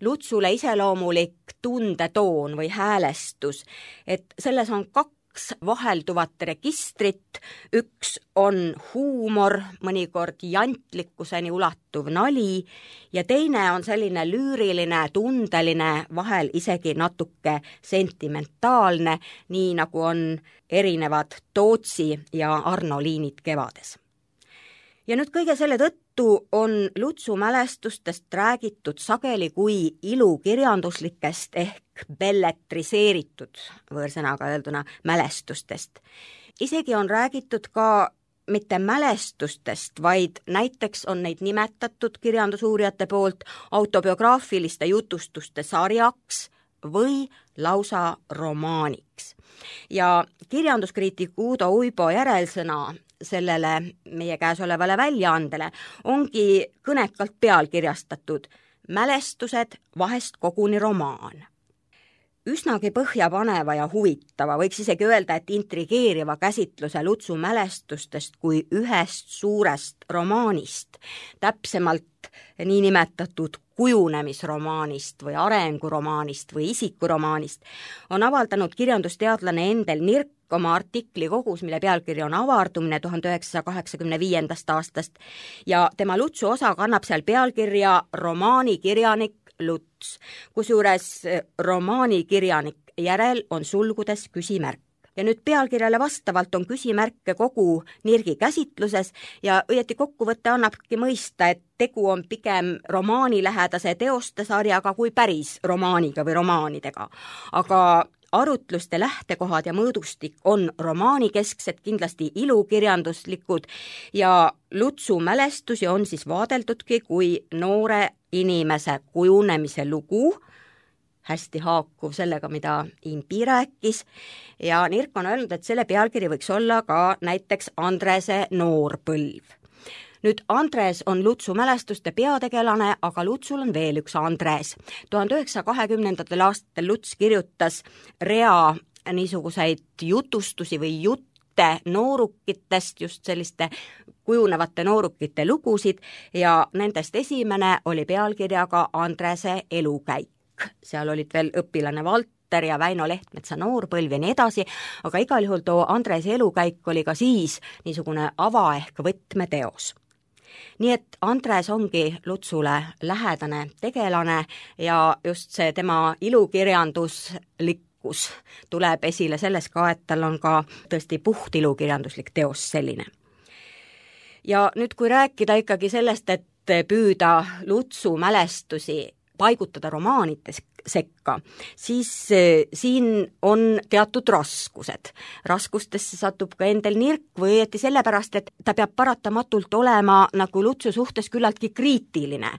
S3: Lutsule iseloomulik tundetoon või häälestus, et selles on kaks vahelduvat registrit, üks on huumor, mõnikord jantlikkuseni ulatuv nali ja teine on selline lüüriline, tundeline, vahel isegi natuke sentimentaalne, nii nagu on erinevad Tootsi ja Arno liinid Kevades. Ja nüüd kõige selle tõttu on Lutsu mälestustest räägitud sageli kui ilukirjanduslikest ehk belletriseeritud, võõrsõnaga öelduna, mälestustest. Isegi on räägitud ka mitte mälestustest, vaid näiteks on neid nimetatud kirjandusuurijate poolt autobiograafiliste jutustuste sarjaks või lausa romaaniks. Ja kirjanduskriitik Udo Uibo järelsõna sellele meie käes olevale väljaandele ongi kõnekalt pealkirjastatud Mälestused, vahest koguni romaan. Üsnagi põhjapaneva ja huvitava, võiks isegi öelda, et intrigeeriva käsitluse Lutsu mälestustest kui ühest suurest romaanist, täpsemalt niinimetatud kujunemisromaanist või arenguromaanist või isikuromaanist, on avaldanud kirjandusteadlane Endel Nirk oma artikli kogus, mille pealkiri on Avardumine tuhande üheksasaja kaheksakümne viiendast aastast ja tema Lutsu osa kannab seal pealkirja Romaanikirjanik Luts, kusjuures romaanikirjanik järel on sulgudes küsimärk. Ja nüüd pealkirjale vastavalt on küsimärke kogu Nirgi käsitluses ja õieti kokkuvõtte annabki mõista, et tegu on pigem romaanilähedase teoste sarjaga kui päris romaaniga või romaanidega. Aga arutluste lähtekohad ja mõõdustik on romaanikesksed, kindlasti ilukirjanduslikud ja Lutsu mälestusi on siis vaadeldudki kui noore inimese kujunemise lugu, hästi haakuv sellega, mida Impi rääkis ja Nirk on öelnud, et selle pealkiri võiks olla ka näiteks Andrese noorpõlv. Nüüd Andres on Lutsu mälestuste peategelane, aga Lutsul on veel üks Andres. tuhande üheksasaja kahekümnendatel aastatel Luts kirjutas rea niisuguseid jutustusi või jutte noorukitest, just selliste kujunevate noorukite lugusid ja nendest esimene oli pealkirjaga Andrese elukäik. Seal olid veel õpilane Valter ja Väino Lehtmetsa noorpõlv ja nii edasi, aga igal juhul too Andrese elukäik oli ka siis niisugune ava ehk võtmeteos. Nii et Andres ongi Lutsule lähedane tegelane ja just see tema ilukirjanduslikkus tuleb esile selles ka, et tal on ka tõesti puht ilukirjanduslik teos selline. Ja nüüd kui rääkida ikkagi sellest, et püüda Lutsu mälestusi paigutada romaanites sekka, siis siin on teatud raskused. Raskustesse satub ka Endel Nirk või õieti sellepärast, et ta peab paratamatult olema nagu Lutsu suhtes küllaltki kriitiline,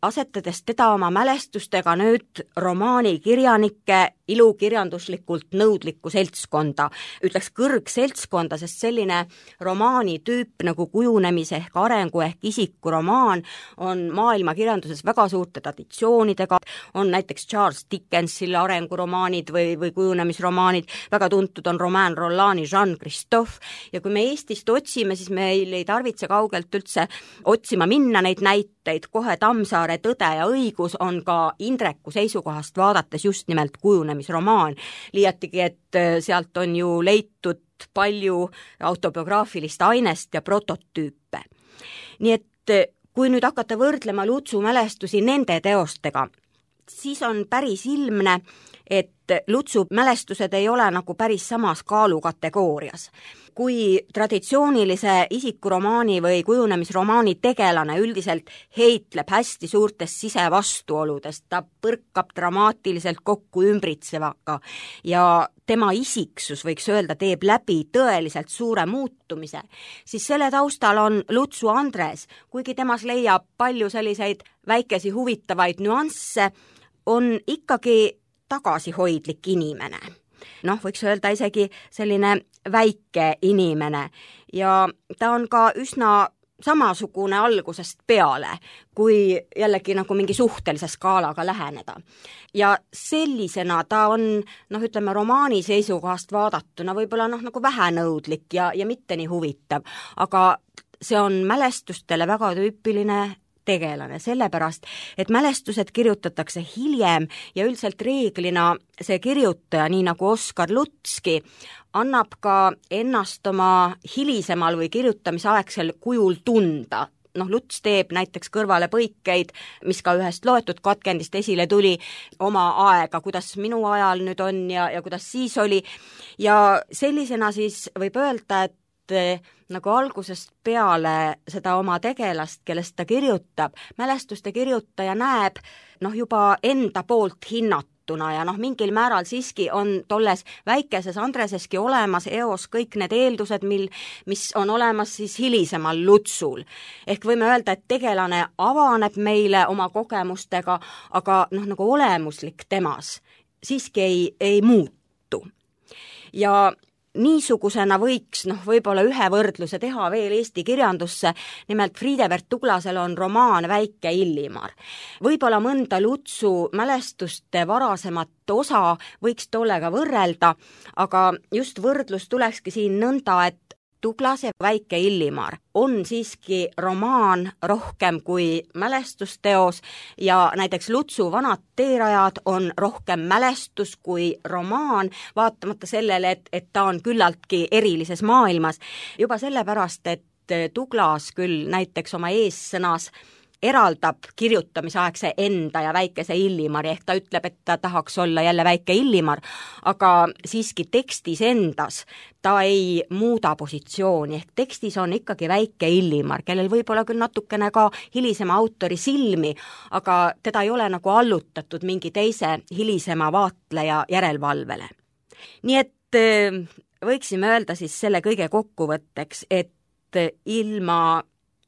S3: asetades teda oma mälestustega nüüd romaanikirjanike ilukirjanduslikult nõudlikku seltskonda, ütleks kõrgseltskonda, sest selline romaani tüüp nagu kujunemise ehk arengu ehk isikuromaan on maailmakirjanduses väga suurte traditsioonidega, on näiteks Charles Dickensil arenguromaanid või, või kujunemisromaanid, väga tuntud on Romain Rollani Jean Christophe ja kui me Eestist otsime, siis meil ei tarvitse kaugelt üldse otsima minna neid näiteid, kohe Tammsaare Tõde ja õigus on ka Indreku seisukohast vaadates just nimelt kujunemisromaan, liiatigi, et sealt on ju leitud palju autobiograafilist ainest ja prototüüpe. Nii et kui nüüd hakata võrdlema Lutsu mälestusi nende teostega, siis on päris ilmne, et Lutsu mälestused ei ole nagu päris samas kaalukategoorias. Kui traditsioonilise isikuromaani või kujunemisromaani tegelane üldiselt heitleb hästi suurtest sisevastuoludest, ta põrkab dramaatiliselt kokku ümbritsevaga ja tema isiksus, võiks öelda, teeb läbi tõeliselt suure muutumise, siis selle taustal on Lutsu Andres, kuigi temas leiab palju selliseid väikesi huvitavaid nüansse, on ikkagi tagasihoidlik inimene. Noh, võiks öelda isegi selline väike inimene ja ta on ka üsna samasugune algusest peale, kui jällegi nagu mingi suhtelise skaalaga läheneda. Ja sellisena ta on, noh ütleme, romaani seisukohast vaadatuna võib-olla noh nagu vähenõudlik ja, ja mitte nii huvitav, aga see on mälestustele väga tüüpiline tegelane, sellepärast, et mälestused kirjutatakse hiljem ja üldiselt reeglina see kirjutaja, nii nagu Oskar Lutski, annab ka ennast oma hilisemal või kirjutamisaegsel kujul tunda. Noh, Luts teeb näiteks kõrvale põikeid, mis ka ühest loetud katkendist esile tuli, oma aega, kuidas minu ajal nüüd on ja, ja kuidas siis oli. Ja sellisena siis võib öelda, et nagu algusest peale seda oma tegelast, kellest ta kirjutab, mälestuste kirjutaja näeb noh juba enda poolt hinnatuna ja noh mingil määral siiski on tolles väikeses Andreseski olemas eos kõik need eeldused, mil, mis on olemas siis hilisemal Lutsul. Ehk võime öelda, et tegelane avaneb meile oma kogemustega, aga noh nagu olemuslik temas siiski ei, ei muutu. Ja niisugusena võiks noh, võib-olla ühe võrdluse teha veel Eesti kirjandusse, nimelt Friedebert Tuglasel on romaan Väike Illimar. Võib-olla mõnda Lutsu mälestuste varasemat osa võiks tollega võrrelda, aga just võrdlus tulekski siin nõnda, et Tuglase Väike Illimar on siiski romaan rohkem kui mälestusteos ja näiteks Lutsu Vanad teerajad on rohkem mälestus kui romaan, vaatamata sellele, et, et ta on küllaltki erilises maailmas. Juba sellepärast, et Tuglas küll näiteks oma eessõnas eraldab kirjutamisaegse enda ja Väikese Illimari, ehk ta ütleb, et ta tahaks olla jälle Väike Illimar, aga siiski tekstis endas ta ei muuda positsiooni, ehk tekstis on ikkagi Väike Illimar, kellel võib-olla küll natukene ka hilisema autori silmi, aga teda ei ole nagu allutatud mingi teise hilisema vaatleja järelvalvele. Nii et võiksime öelda siis selle kõige kokkuvõtteks, et ilma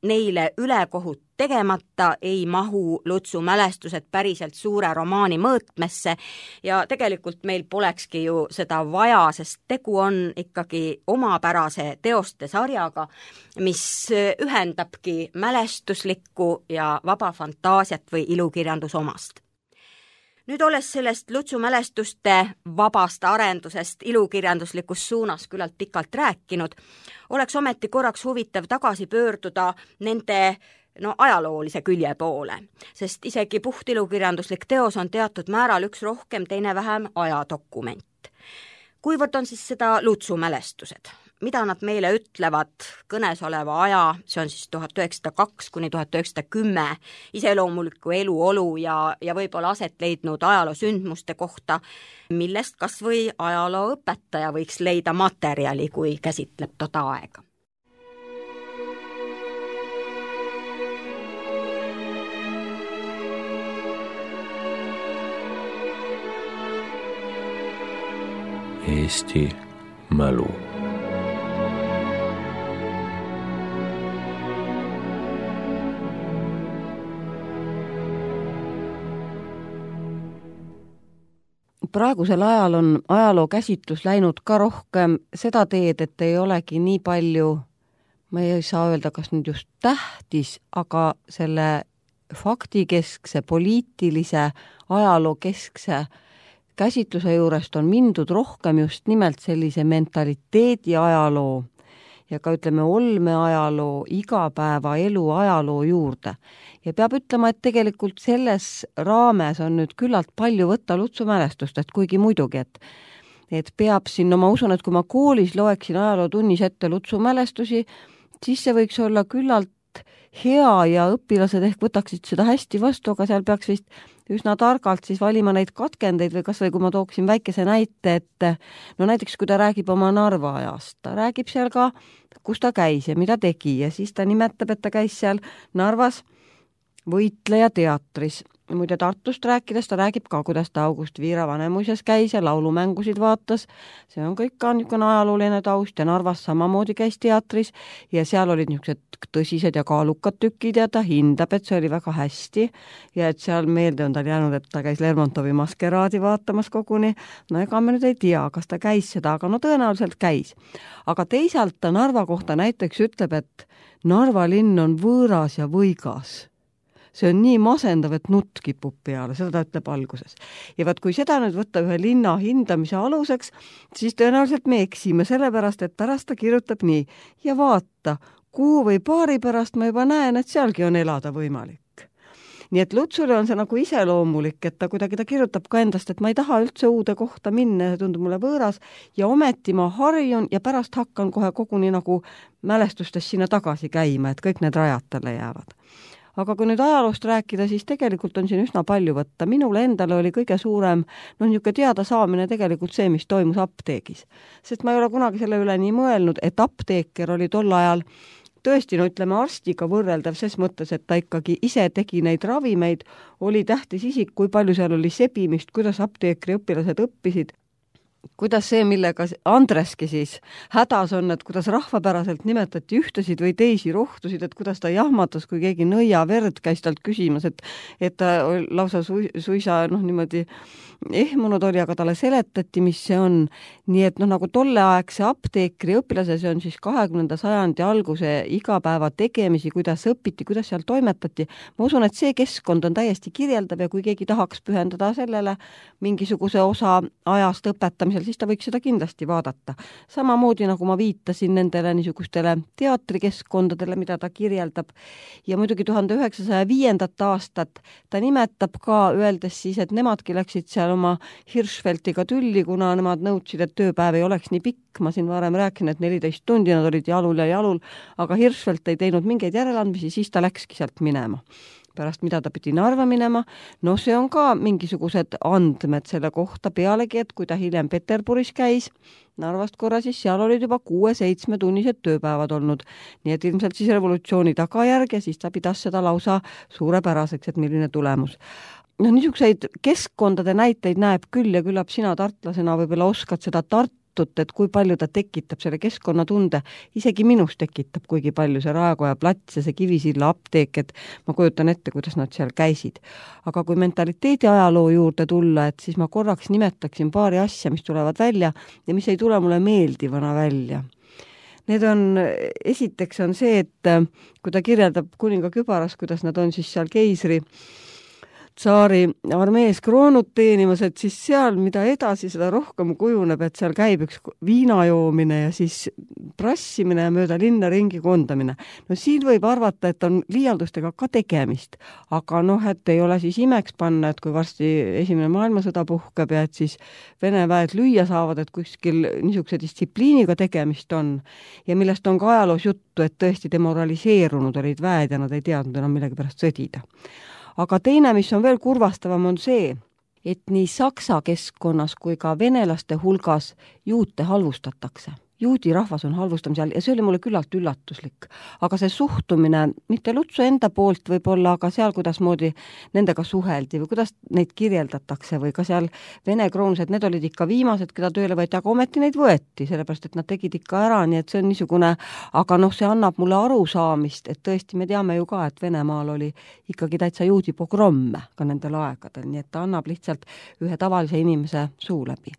S3: neile ülekohut tegemata ei mahu Lutsu mälestused päriselt suure romaani mõõtmesse ja tegelikult meil polekski ju seda vaja, sest tegu on ikkagi omapärase teoste sarjaga, mis ühendabki mälestuslikku ja vaba fantaasiat või ilukirjandusomast. Nüüd olles sellest Lutsu mälestuste vabast arendusest ilukirjanduslikus suunas küllalt pikalt rääkinud, oleks ometi korraks huvitav tagasi pöörduda nende no, ajaloolise külje poole, sest isegi puht ilukirjanduslik teos on teatud määral üks rohkem, teine vähem ajadokument. Kuivõrd on siis seda Lutsu mälestused? Mida nad meile ütlevad kõnesoleva aja, see on siis tuhat üheksasada kaks kuni tuhat üheksasada kümme, iseloomuliku eluolu ja, ja võib-olla aset leidnud ajaloo sündmuste kohta, millest kas või ajaloo õpetaja võiks leida materjali, kui käsitleb toda aega.
S2: Eesti mälu.
S1: Praegusel ajal on ajaloo käsitlus läinud ka rohkem seda teed, et ei olegi nii palju, ma ei saa öelda, kas nüüd just tähtis, aga selle faktikeskse, poliitilise, ajaloo keskse käsitluse juurest on mindud rohkem just nimelt sellise mentaliteedi ajaloo ja ka ütleme olme ajaloo, igapäeva elu ajaloo juurde. Ja peab ütlema, et tegelikult selles raames on nüüd küllalt palju võtta Lutsu mälestust, et kuigi muidugi, et, et peab siin, no ma usun, et kui ma koolis loeksin ajalootunnis ette Lutsu mälestusi, siis see võiks olla küllalt hea ja õpilased ehk võtaksid seda hästi vastu, aga seal peaks vist üsna targalt siis valima neid katkendeid või kas või kui ma tooksin väikese näite, et no näiteks kui ta räägib oma Narva ajast, ta räägib seal ka, kus ta käis ja mida tegi ja siis ta nimetab, et ta käis seal Narvas võitleja teatris muide Tartust rääkides, ta räägib ka, kuidas ta August Viira Vanemuises käis ja laulumängusid vaatas. See on kõik ka niisugune ajalooline taust ja Narvas samamoodi käis teatris ja seal olid niisugused tõsised ja kaalukad tükid ja ta hindab, et see oli väga hästi ja et seal meelde on tal jäänud, et ta käis Lermontovi Maskeraadi vaatamas koguni. No ega me nüüd ei tea, kas ta käis seda, aga no tõenäoliselt käis. Aga teisalt ta Narva kohta näiteks ütleb, et Narva linn on võõras ja võigas. See on nii masendav, et nutt kipub peale, seda ta ütleb alguses. Ja vaat kui seda nüüd võtta ühe linna hindamise aluseks, siis tõenäoliselt me eksime, sellepärast, et pärast ta kirjutab nii. Ja vaata, kuu või paari pärast ma juba näen, et sealgi on elada võimalik. Nii et Lutsule on see nagu iseloomulik, et ta kuidagi ta kirjutab ka endast, et ma ei taha üldse uude kohta minna, see tundub mulle võõras ja ometi ma harjun ja pärast hakkan kohe koguni nagu mälestustes sinna tagasi käima, et kõik need rajad talle jäävad. Aga kui nüüd ajaloost rääkida, siis tegelikult on siin üsna palju võtta. Minule endale oli kõige suurem, no niisugune teada saamine tegelikult see, mis toimus apteegis. Sest ma ei ole kunagi selle üle nii mõelnud, et apteeker oli tol ajal tõesti, no ütleme, arstiga võrreldav ses mõttes, et ta ikkagi ise tegi neid ravimeid, oli tähtis isik, kui palju seal oli sebimist, kuidas apteekri õpilased õppisid, kuidas see, millega Andreski siis hädas on, et kuidas rahvapäraselt nimetati ühtesid või teisi rohtusid, et kuidas ta jahmatas, kui keegi nõia verd käis talt küsimas, et, et ta lausa su, suisa noh, niimoodi ehmunud oli, aga talle seletati, mis see on. Nii et noh, nagu tolleaegse apteekri õpilase, see on siis kahekümnenda sajandi alguse igapäeva tegemisi, kuidas õpiti, kuidas seal toimetati. Ma usun, et see keskkond on täiesti kirjeldav ja kui keegi tahaks pühendada sellele mingisuguse osa ajast õpetamisel, siis ta võiks seda kindlasti vaadata. Samamoodi nagu ma viitasin nendele niisugustele teatrikeskkondadele, mida ta kirjeldab. Ja muidugi tuhande üheksasaja viiendat aastat ta nimetab ka, öeldes siis, et nemadki läksid seal oma Hirschfeldiga tülli, kuna nemad nõudsid, et tööpäev ei oleks nii pikk. Ma siin varem rääkin, et neliteist tundi nad olid jalul ja jalul, aga Hirschfeld ei teinud mingeid järeleandmisi, siis ta läkski sealt minema. Pärast mida ta pidi Narva minema, no see on ka mingisugused andmed selle kohta pealegi, et kui ta hiljem Peterburis käis, Narvast korra, siis seal olid juba kuue-seitsme tunnised tööpäevad olnud. Nii et ilmselt siis revolutsiooni tagajärg ja siis ta pidas seda lausa suurepäraseks, et milline tulemus. No niisuguseid keskkondade näiteid näeb küll ja küllap sina tartlasena võib-olla oskad seda Tartut, et kui palju ta tekitab selle keskkonnatunde. Isegi minus tekitab kuigi palju see Raekoja plats ja see Kivisilla apteek, et ma kujutan ette, kuidas nad seal käisid. Aga kui mentaliteedi ajaloo juurde tulla, et siis ma korraks nimetaksin paari asja, mis tulevad välja ja mis ei tule mulle meeldivana välja. Need on, esiteks on see, et kui ta kirjeldab kuninga kübaras, kuidas nad on siis seal keisri tsaari armees kroonut teenimas, et siis seal, mida edasi, seda rohkem kujuneb, et seal käib üks viinajoomine ja siis prassimine ja mööda linna ringi kondamine. No siin võib arvata, et on liialdustega ka tegemist, aga noh, et ei ole siis imeks panna, et kui varsti esimene maailmasõda puhkeb ja et siis Vene väed lüüa saavad, et kuskil niisuguse distsipliiniga tegemist on ja millest on ka ajaloos juttu, et tõesti demoraliseerunud olid väed ja nad ei teadnud enam millegi pärast sõdida. Aga teine, mis on veel kurvastavam, on see, et nii saksa keskkonnas kui ka venelaste hulgas juute halvustatakse. Juudi rahvas on halvustamise all ja see oli mulle küllalt üllatuslik. Aga see suhtumine, mitte Lutsu enda poolt võib-olla, aga seal, kuidas moodi nendega suheldi või kuidas neid kirjeldatakse või ka seal Vene kroonused, need olid ikka viimased, keda tööle võeti, aga ometi neid võeti, sellepärast et nad tegid ikka ära, nii et see on niisugune, aga noh, see annab mulle arusaamist, et tõesti me teame ju ka, et Venemaal oli ikkagi täitsa juudi pogromme ka nendel aegadel, nii et ta annab lihtsalt ühe tavalise inimese suu läbi.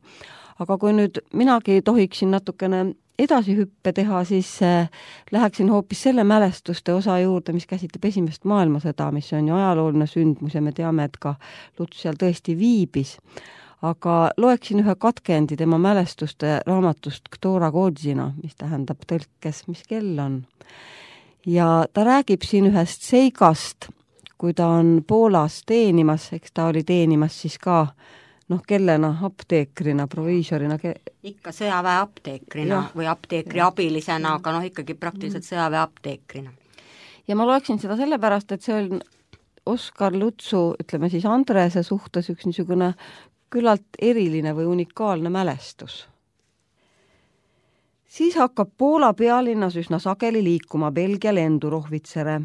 S1: Aga kui nüüd minagi tohiksin natukene edasi hüppe teha, siis äh, läheksin hoopis selle mälestuste osa juurde, mis käsitleb esimest maailmasõda, mis on ju ajalooline sündmus ja me teame, et ka Luts seal tõesti viibis. Aga loeksin ühe katkendi tema mälestuste raamatust Ktora Godzina, mis tähendab tõlkes, mis kell on. Ja ta räägib siin ühest seigast, kui ta on Poolas teenimas, eks ta oli teenimas siis ka noh, kellena, apteekrina, proviisorina. Ke...
S3: ikka sõjaväe apteekrina ja. Või apteekri ja. Abilisena, aga noh, ikkagi praktiliselt sõjaväe apteekrina.
S1: Ja ma loeksin seda sellepärast, et see on Oskar Lutsu, ütleme siis Andrese suhtes üks niisugune küllalt eriline või unikaalne mälestus. Siis hakkab Poola pealinnas üsna sageli liikuma Belgia lendurohvitsere.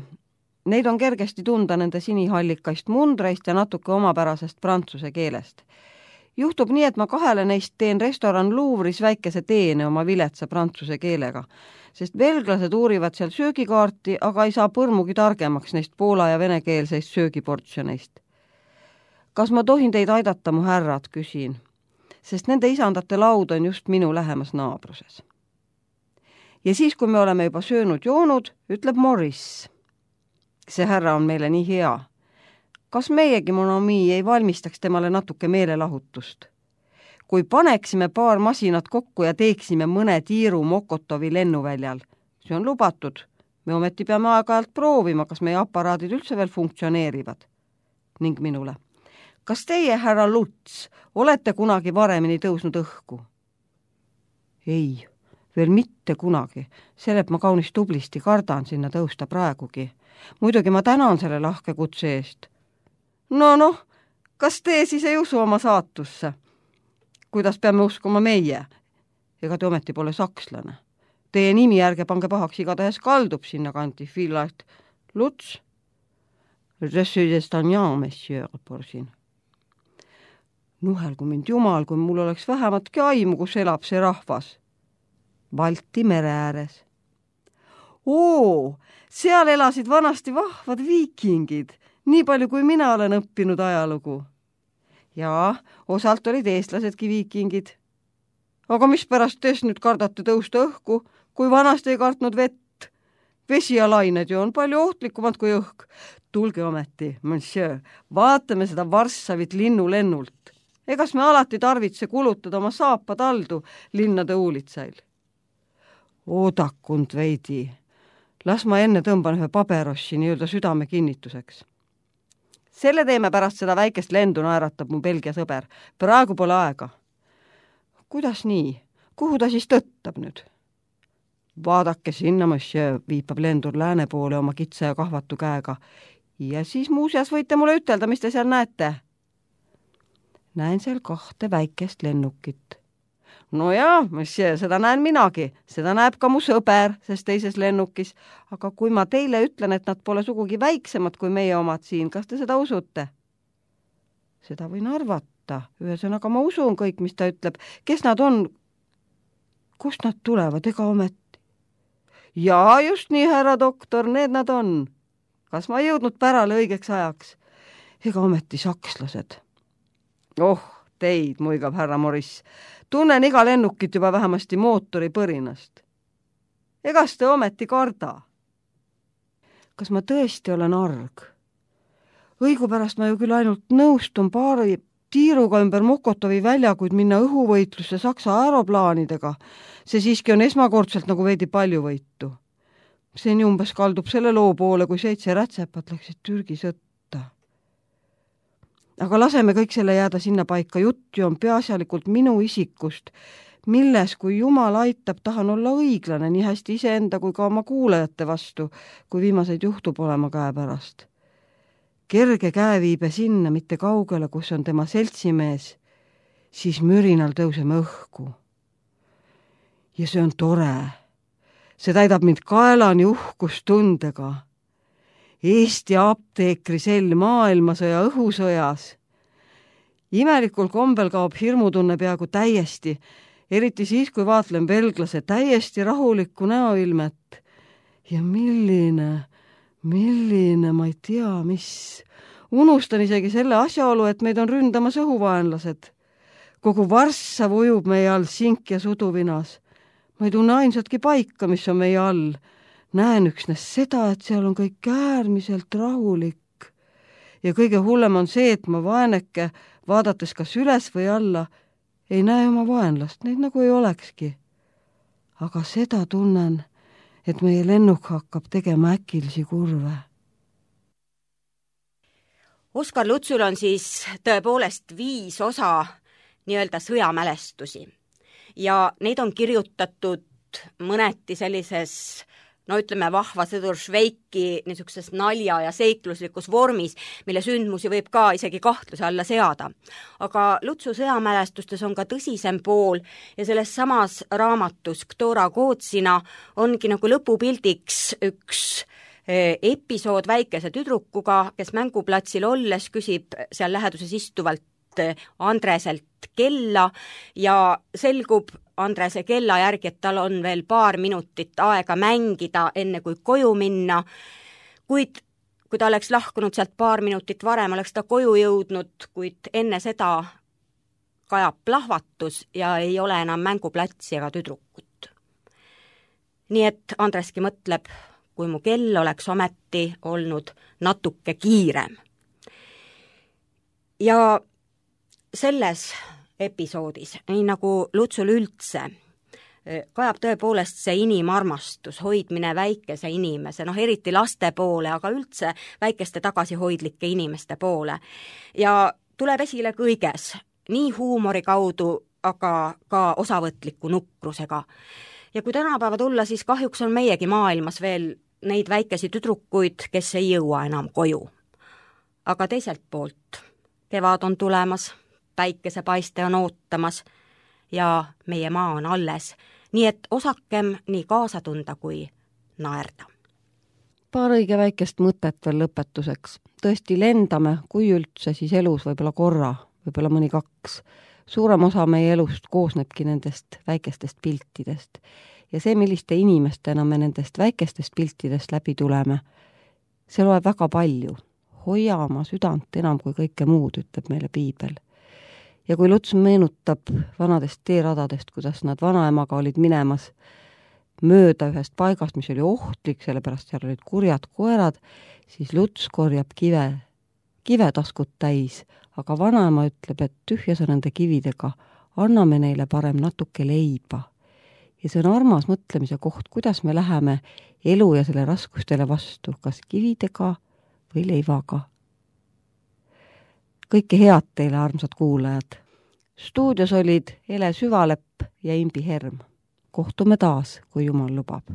S1: Neid on kergesti tunda nende sinihallikaist mundreist ja natuke omapärasest prantsuse keelest. Juhtub nii, et ma kahele neist teen restoran Louvre'is väikese teene oma viletsa prantsuse keelega, sest belglased uurivad seal söögikaarti, aga ei saa põrmugi targemaks neist poola- ja venekeelseist söögiportsjoneist. Kas ma tohin teid aidata, mu härrad, küsin, sest nende isandate laud on just minu lähemas naabruses. Ja siis, kui me oleme juba söönud joonud, ütleb Maurice. See härra on meile nii hea. Kas meiegi, mon ami, ei valmistaks temale natuke meelelahutust? Kui paneksime paar masinat kokku ja teeksime mõne tiiru Mokotovi lennuväljal, see on lubatud. Me ometi peame aeg-ajalt proovima, kas meie aparaadid üldse veel funktsioneerivad. Ning minule. Kas teie, härra Luts, olete kunagi varemini tõusnud õhku? Ei, veel mitte kunagi. Sellelt ma kaunis tublisti kardan sinna tõusta praegugi. Muidugi ma tänan selle lahke kutse eest. No noh, kas te siis ei usu oma saatusse? Kuidas peame uskuma meie? Ega te ometi pole sakslane. Teie nimi ärge pange pahaks, igatahes kaldub sinna kanti. Fillart Luts? Je suis d'Estagnan, monsieur, porsin. Nuhelgu mind jumal, kui mul oleks vähematki aimu, kus elab see rahvas. Balti mere ääres. Oo, seal elasid vanasti vahvad viikingid, nii palju kui mina olen õppinud ajalugu. Jaa, osalt olid eestlasedki viikingid. Aga mis pärast tees nüüd kardate tõusta õhku, kui vanasti ei kartnud vett? Vesi ja lained ju on palju ohtlikumad kui õhk. Tulge ometi, monsieur, vaatame seda Varssavit linnulennult. Egas me alati tarvitse kulutada oma saapa taldu linnade uulitsail. Oodakund veidi. Las ma enne tõmban ühe paberossi nii-öelda südame kinnituseks. Selle teeme pärast seda väikest lendu, naeratab mu Belgia sõber. Praegu pole aega. Kuidas nii? Kuhu ta siis tõttab nüüd? Vaadake sinna, monsieur, viipab lendur lääne poole oma kitsa ja kahvatu käega. Ja siis muuseas võite mulle ütelda, mis te seal näete? Näen seal kahte väikest lennukit. No jaa, monsieur, seda näen minagi. Seda näeb ka mu sõber, sest teises lennukis. Aga kui ma teile ütlen, et nad pole sugugi väiksemad kui meie omad siin, kas te seda usute? Seda võin arvata. Ühesõnaga ma usun kõik, mis ta ütleb. Kes nad on? Kust nad tulevad, ega ometi? Jaa, just nii, härra doktor, need nad on. Kas ma ei jõudnud pärale õigeks ajaks? Ega ometi sakslased. Oh, teid, muigab härra Maurice. Tunnen iga lennukit juba vähemasti mootori põrinast. Egas te ometi karda? Kas ma tõesti olen arg? Õigupärast ma ju küll ainult nõustun paari tiiruga ümber Mokotovi väljakuid minna õhuvõitlusse Saksa aeroplaanidega. See siiski on esmakordselt nagu veidi palju võitu. See nii umbes kaldub selle loo poole, kui seitse rätsepat läksid Türgi sõtta. Aga laseme kõik selle jääda sinna paika. Juttu on peaasjalikult minu isikust, milles, kui Jumal aitab, tahan olla õiglane nii hästi iseenda kui ka oma kuulajate vastu, kui viimaseid juhtub olema käe pärast. Kerge käeviibe sinna, mitte kaugele, kus on tema seltsimees, siis mürinal tõuseme õhku. Ja see on tore. See täidab mind kaelani uhkustundega. Eesti apteekrisell maailmasõja õhusõjas. Imelikul kombel kaob hirmutunne peaaegu täiesti, eriti siis, kui vaatlen belglase täiesti rahulikku näoilmet. Ja milline, milline, ma ei tea, mis. Unustan isegi selle asjaolu, et meid on ründamas õhuvaenlased. Kogu Varssav ujub meie all sink ja suduvinas. Ma ei tunne ainsatki paika, mis on meie all. Näen üksnes seda, et seal on kõik äärmiselt rahulik. Ja kõige hullem on see, et ma vaeneke, vaadates kas üles või alla, ei näe oma vaenlast, neid nagu ei olekski. Aga seda tunnen, et meie lennuk hakkab tegema äkilisi kurve.
S3: Oskar Lutsul on siis tõepoolest viis osa nii-öelda sõjamälestusi. Ja neid on kirjutatud mõneti sellises no ütleme vahva sõdur Šveiki niisuguses nalja ja seikluslikus vormis, mille sündmusi võib ka isegi kahtluse alla seada. Aga Lutsu sõjamälestustes on ka tõsisem pool ja selles samas raamatus Ktora Kootsina ongi nagu lõpupildiks üks episood väikese tüdrukuga, kes mänguplatsil olles küsib seal läheduses istuvalt Andreselt kella ja selgub Andrese kella järgi, et tal on veel paar minutit aega mängida, enne kui koju minna, kuid kui ta oleks lahkunud sealt paar minutit varem, oleks ta koju jõudnud, kuid enne seda kajab plahvatus ja ei ole enam mänguplatsi ega tüdrukut. Nii et Andreski mõtleb, kui mu kell oleks ometi olnud natuke kiirem. Ja selles episoodis, nii nagu Lutsul üldse, kajab tõepoolest see inimarmastus, hoidmine väikese inimese, noh eriti laste poole, aga üldse väikeste tagasihoidlike inimeste poole. Ja tuleb esile kõiges, nii huumori kaudu, aga ka osavõtliku nukrusega. Ja kui tänapäeva tulla, siis kahjuks on meiegi maailmas veel neid väikesi tüdrukuid, kes ei jõua enam koju. Aga teiselt poolt, kevad on tulemas, päikesepaiste on ootamas ja meie maa on alles, nii et osakem nii kaasa tunda kui naerda.
S1: Paar õige väikest mõtet veel lõpetuseks. Tõesti lendame, kui üldse, siis elus võib-olla korra, võib-olla mõni kaks. Suurem osa meie elust koosnebki nendest väikestest piltidest. Ja see, milliste inimestena me nendest väikestest piltidest läbi tuleme, see loeb väga palju. Hoia oma südant enam kui kõike muud, ütleb meile piibel. Ja kui Luts meenutab vanadest teeradadest, kuidas nad vanaemaga olid minemas mööda ühest paigast, mis oli ohtlik, sellepärast seal olid kurjad koerad, siis Luts korjab kive, kive taskut täis, aga vanaema ütleb, et tühja sa nende kividega, anname neile parem natuke leiba. Ja see on armas mõtlemise koht, kuidas me läheme elu ja selle raskustele vastu, kas kividega või leivaga. Kõike head teile, armsad kuulajad. Stuudios olid Ele Süvalepp ja Imbi Herm. Kohtume taas, kui Jumal lubab.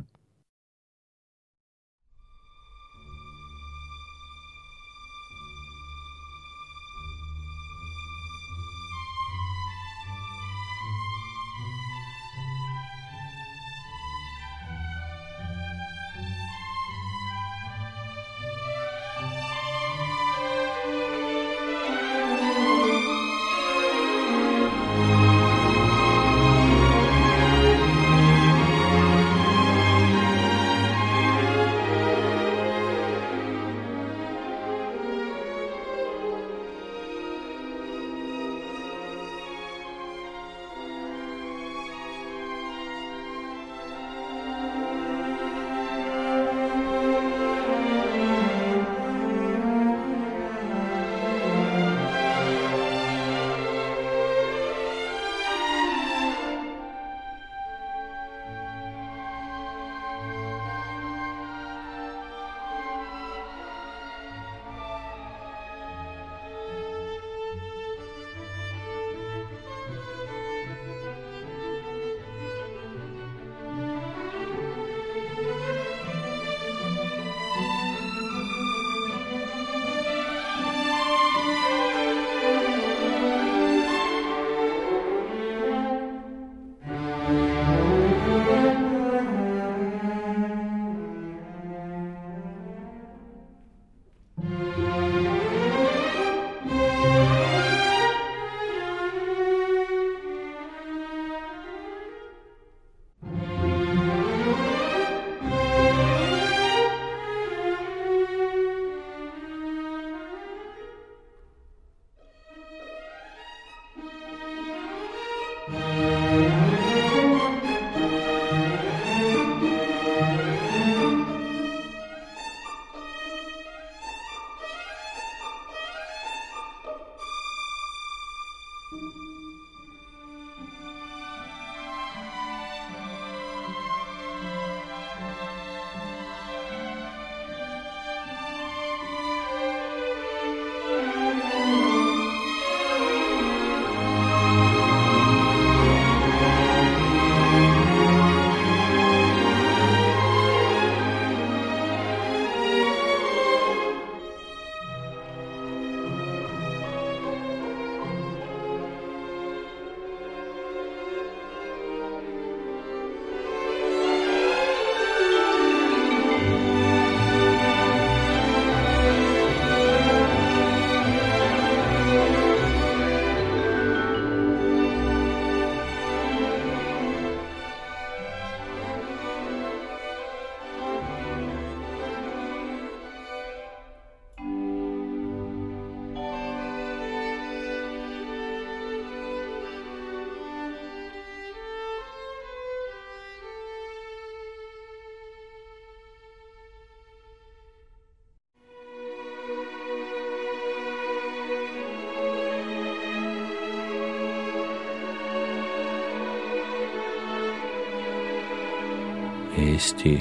S2: Eesti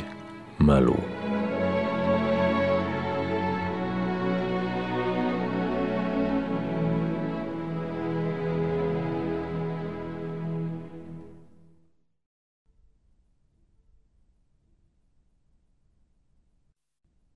S2: mälu.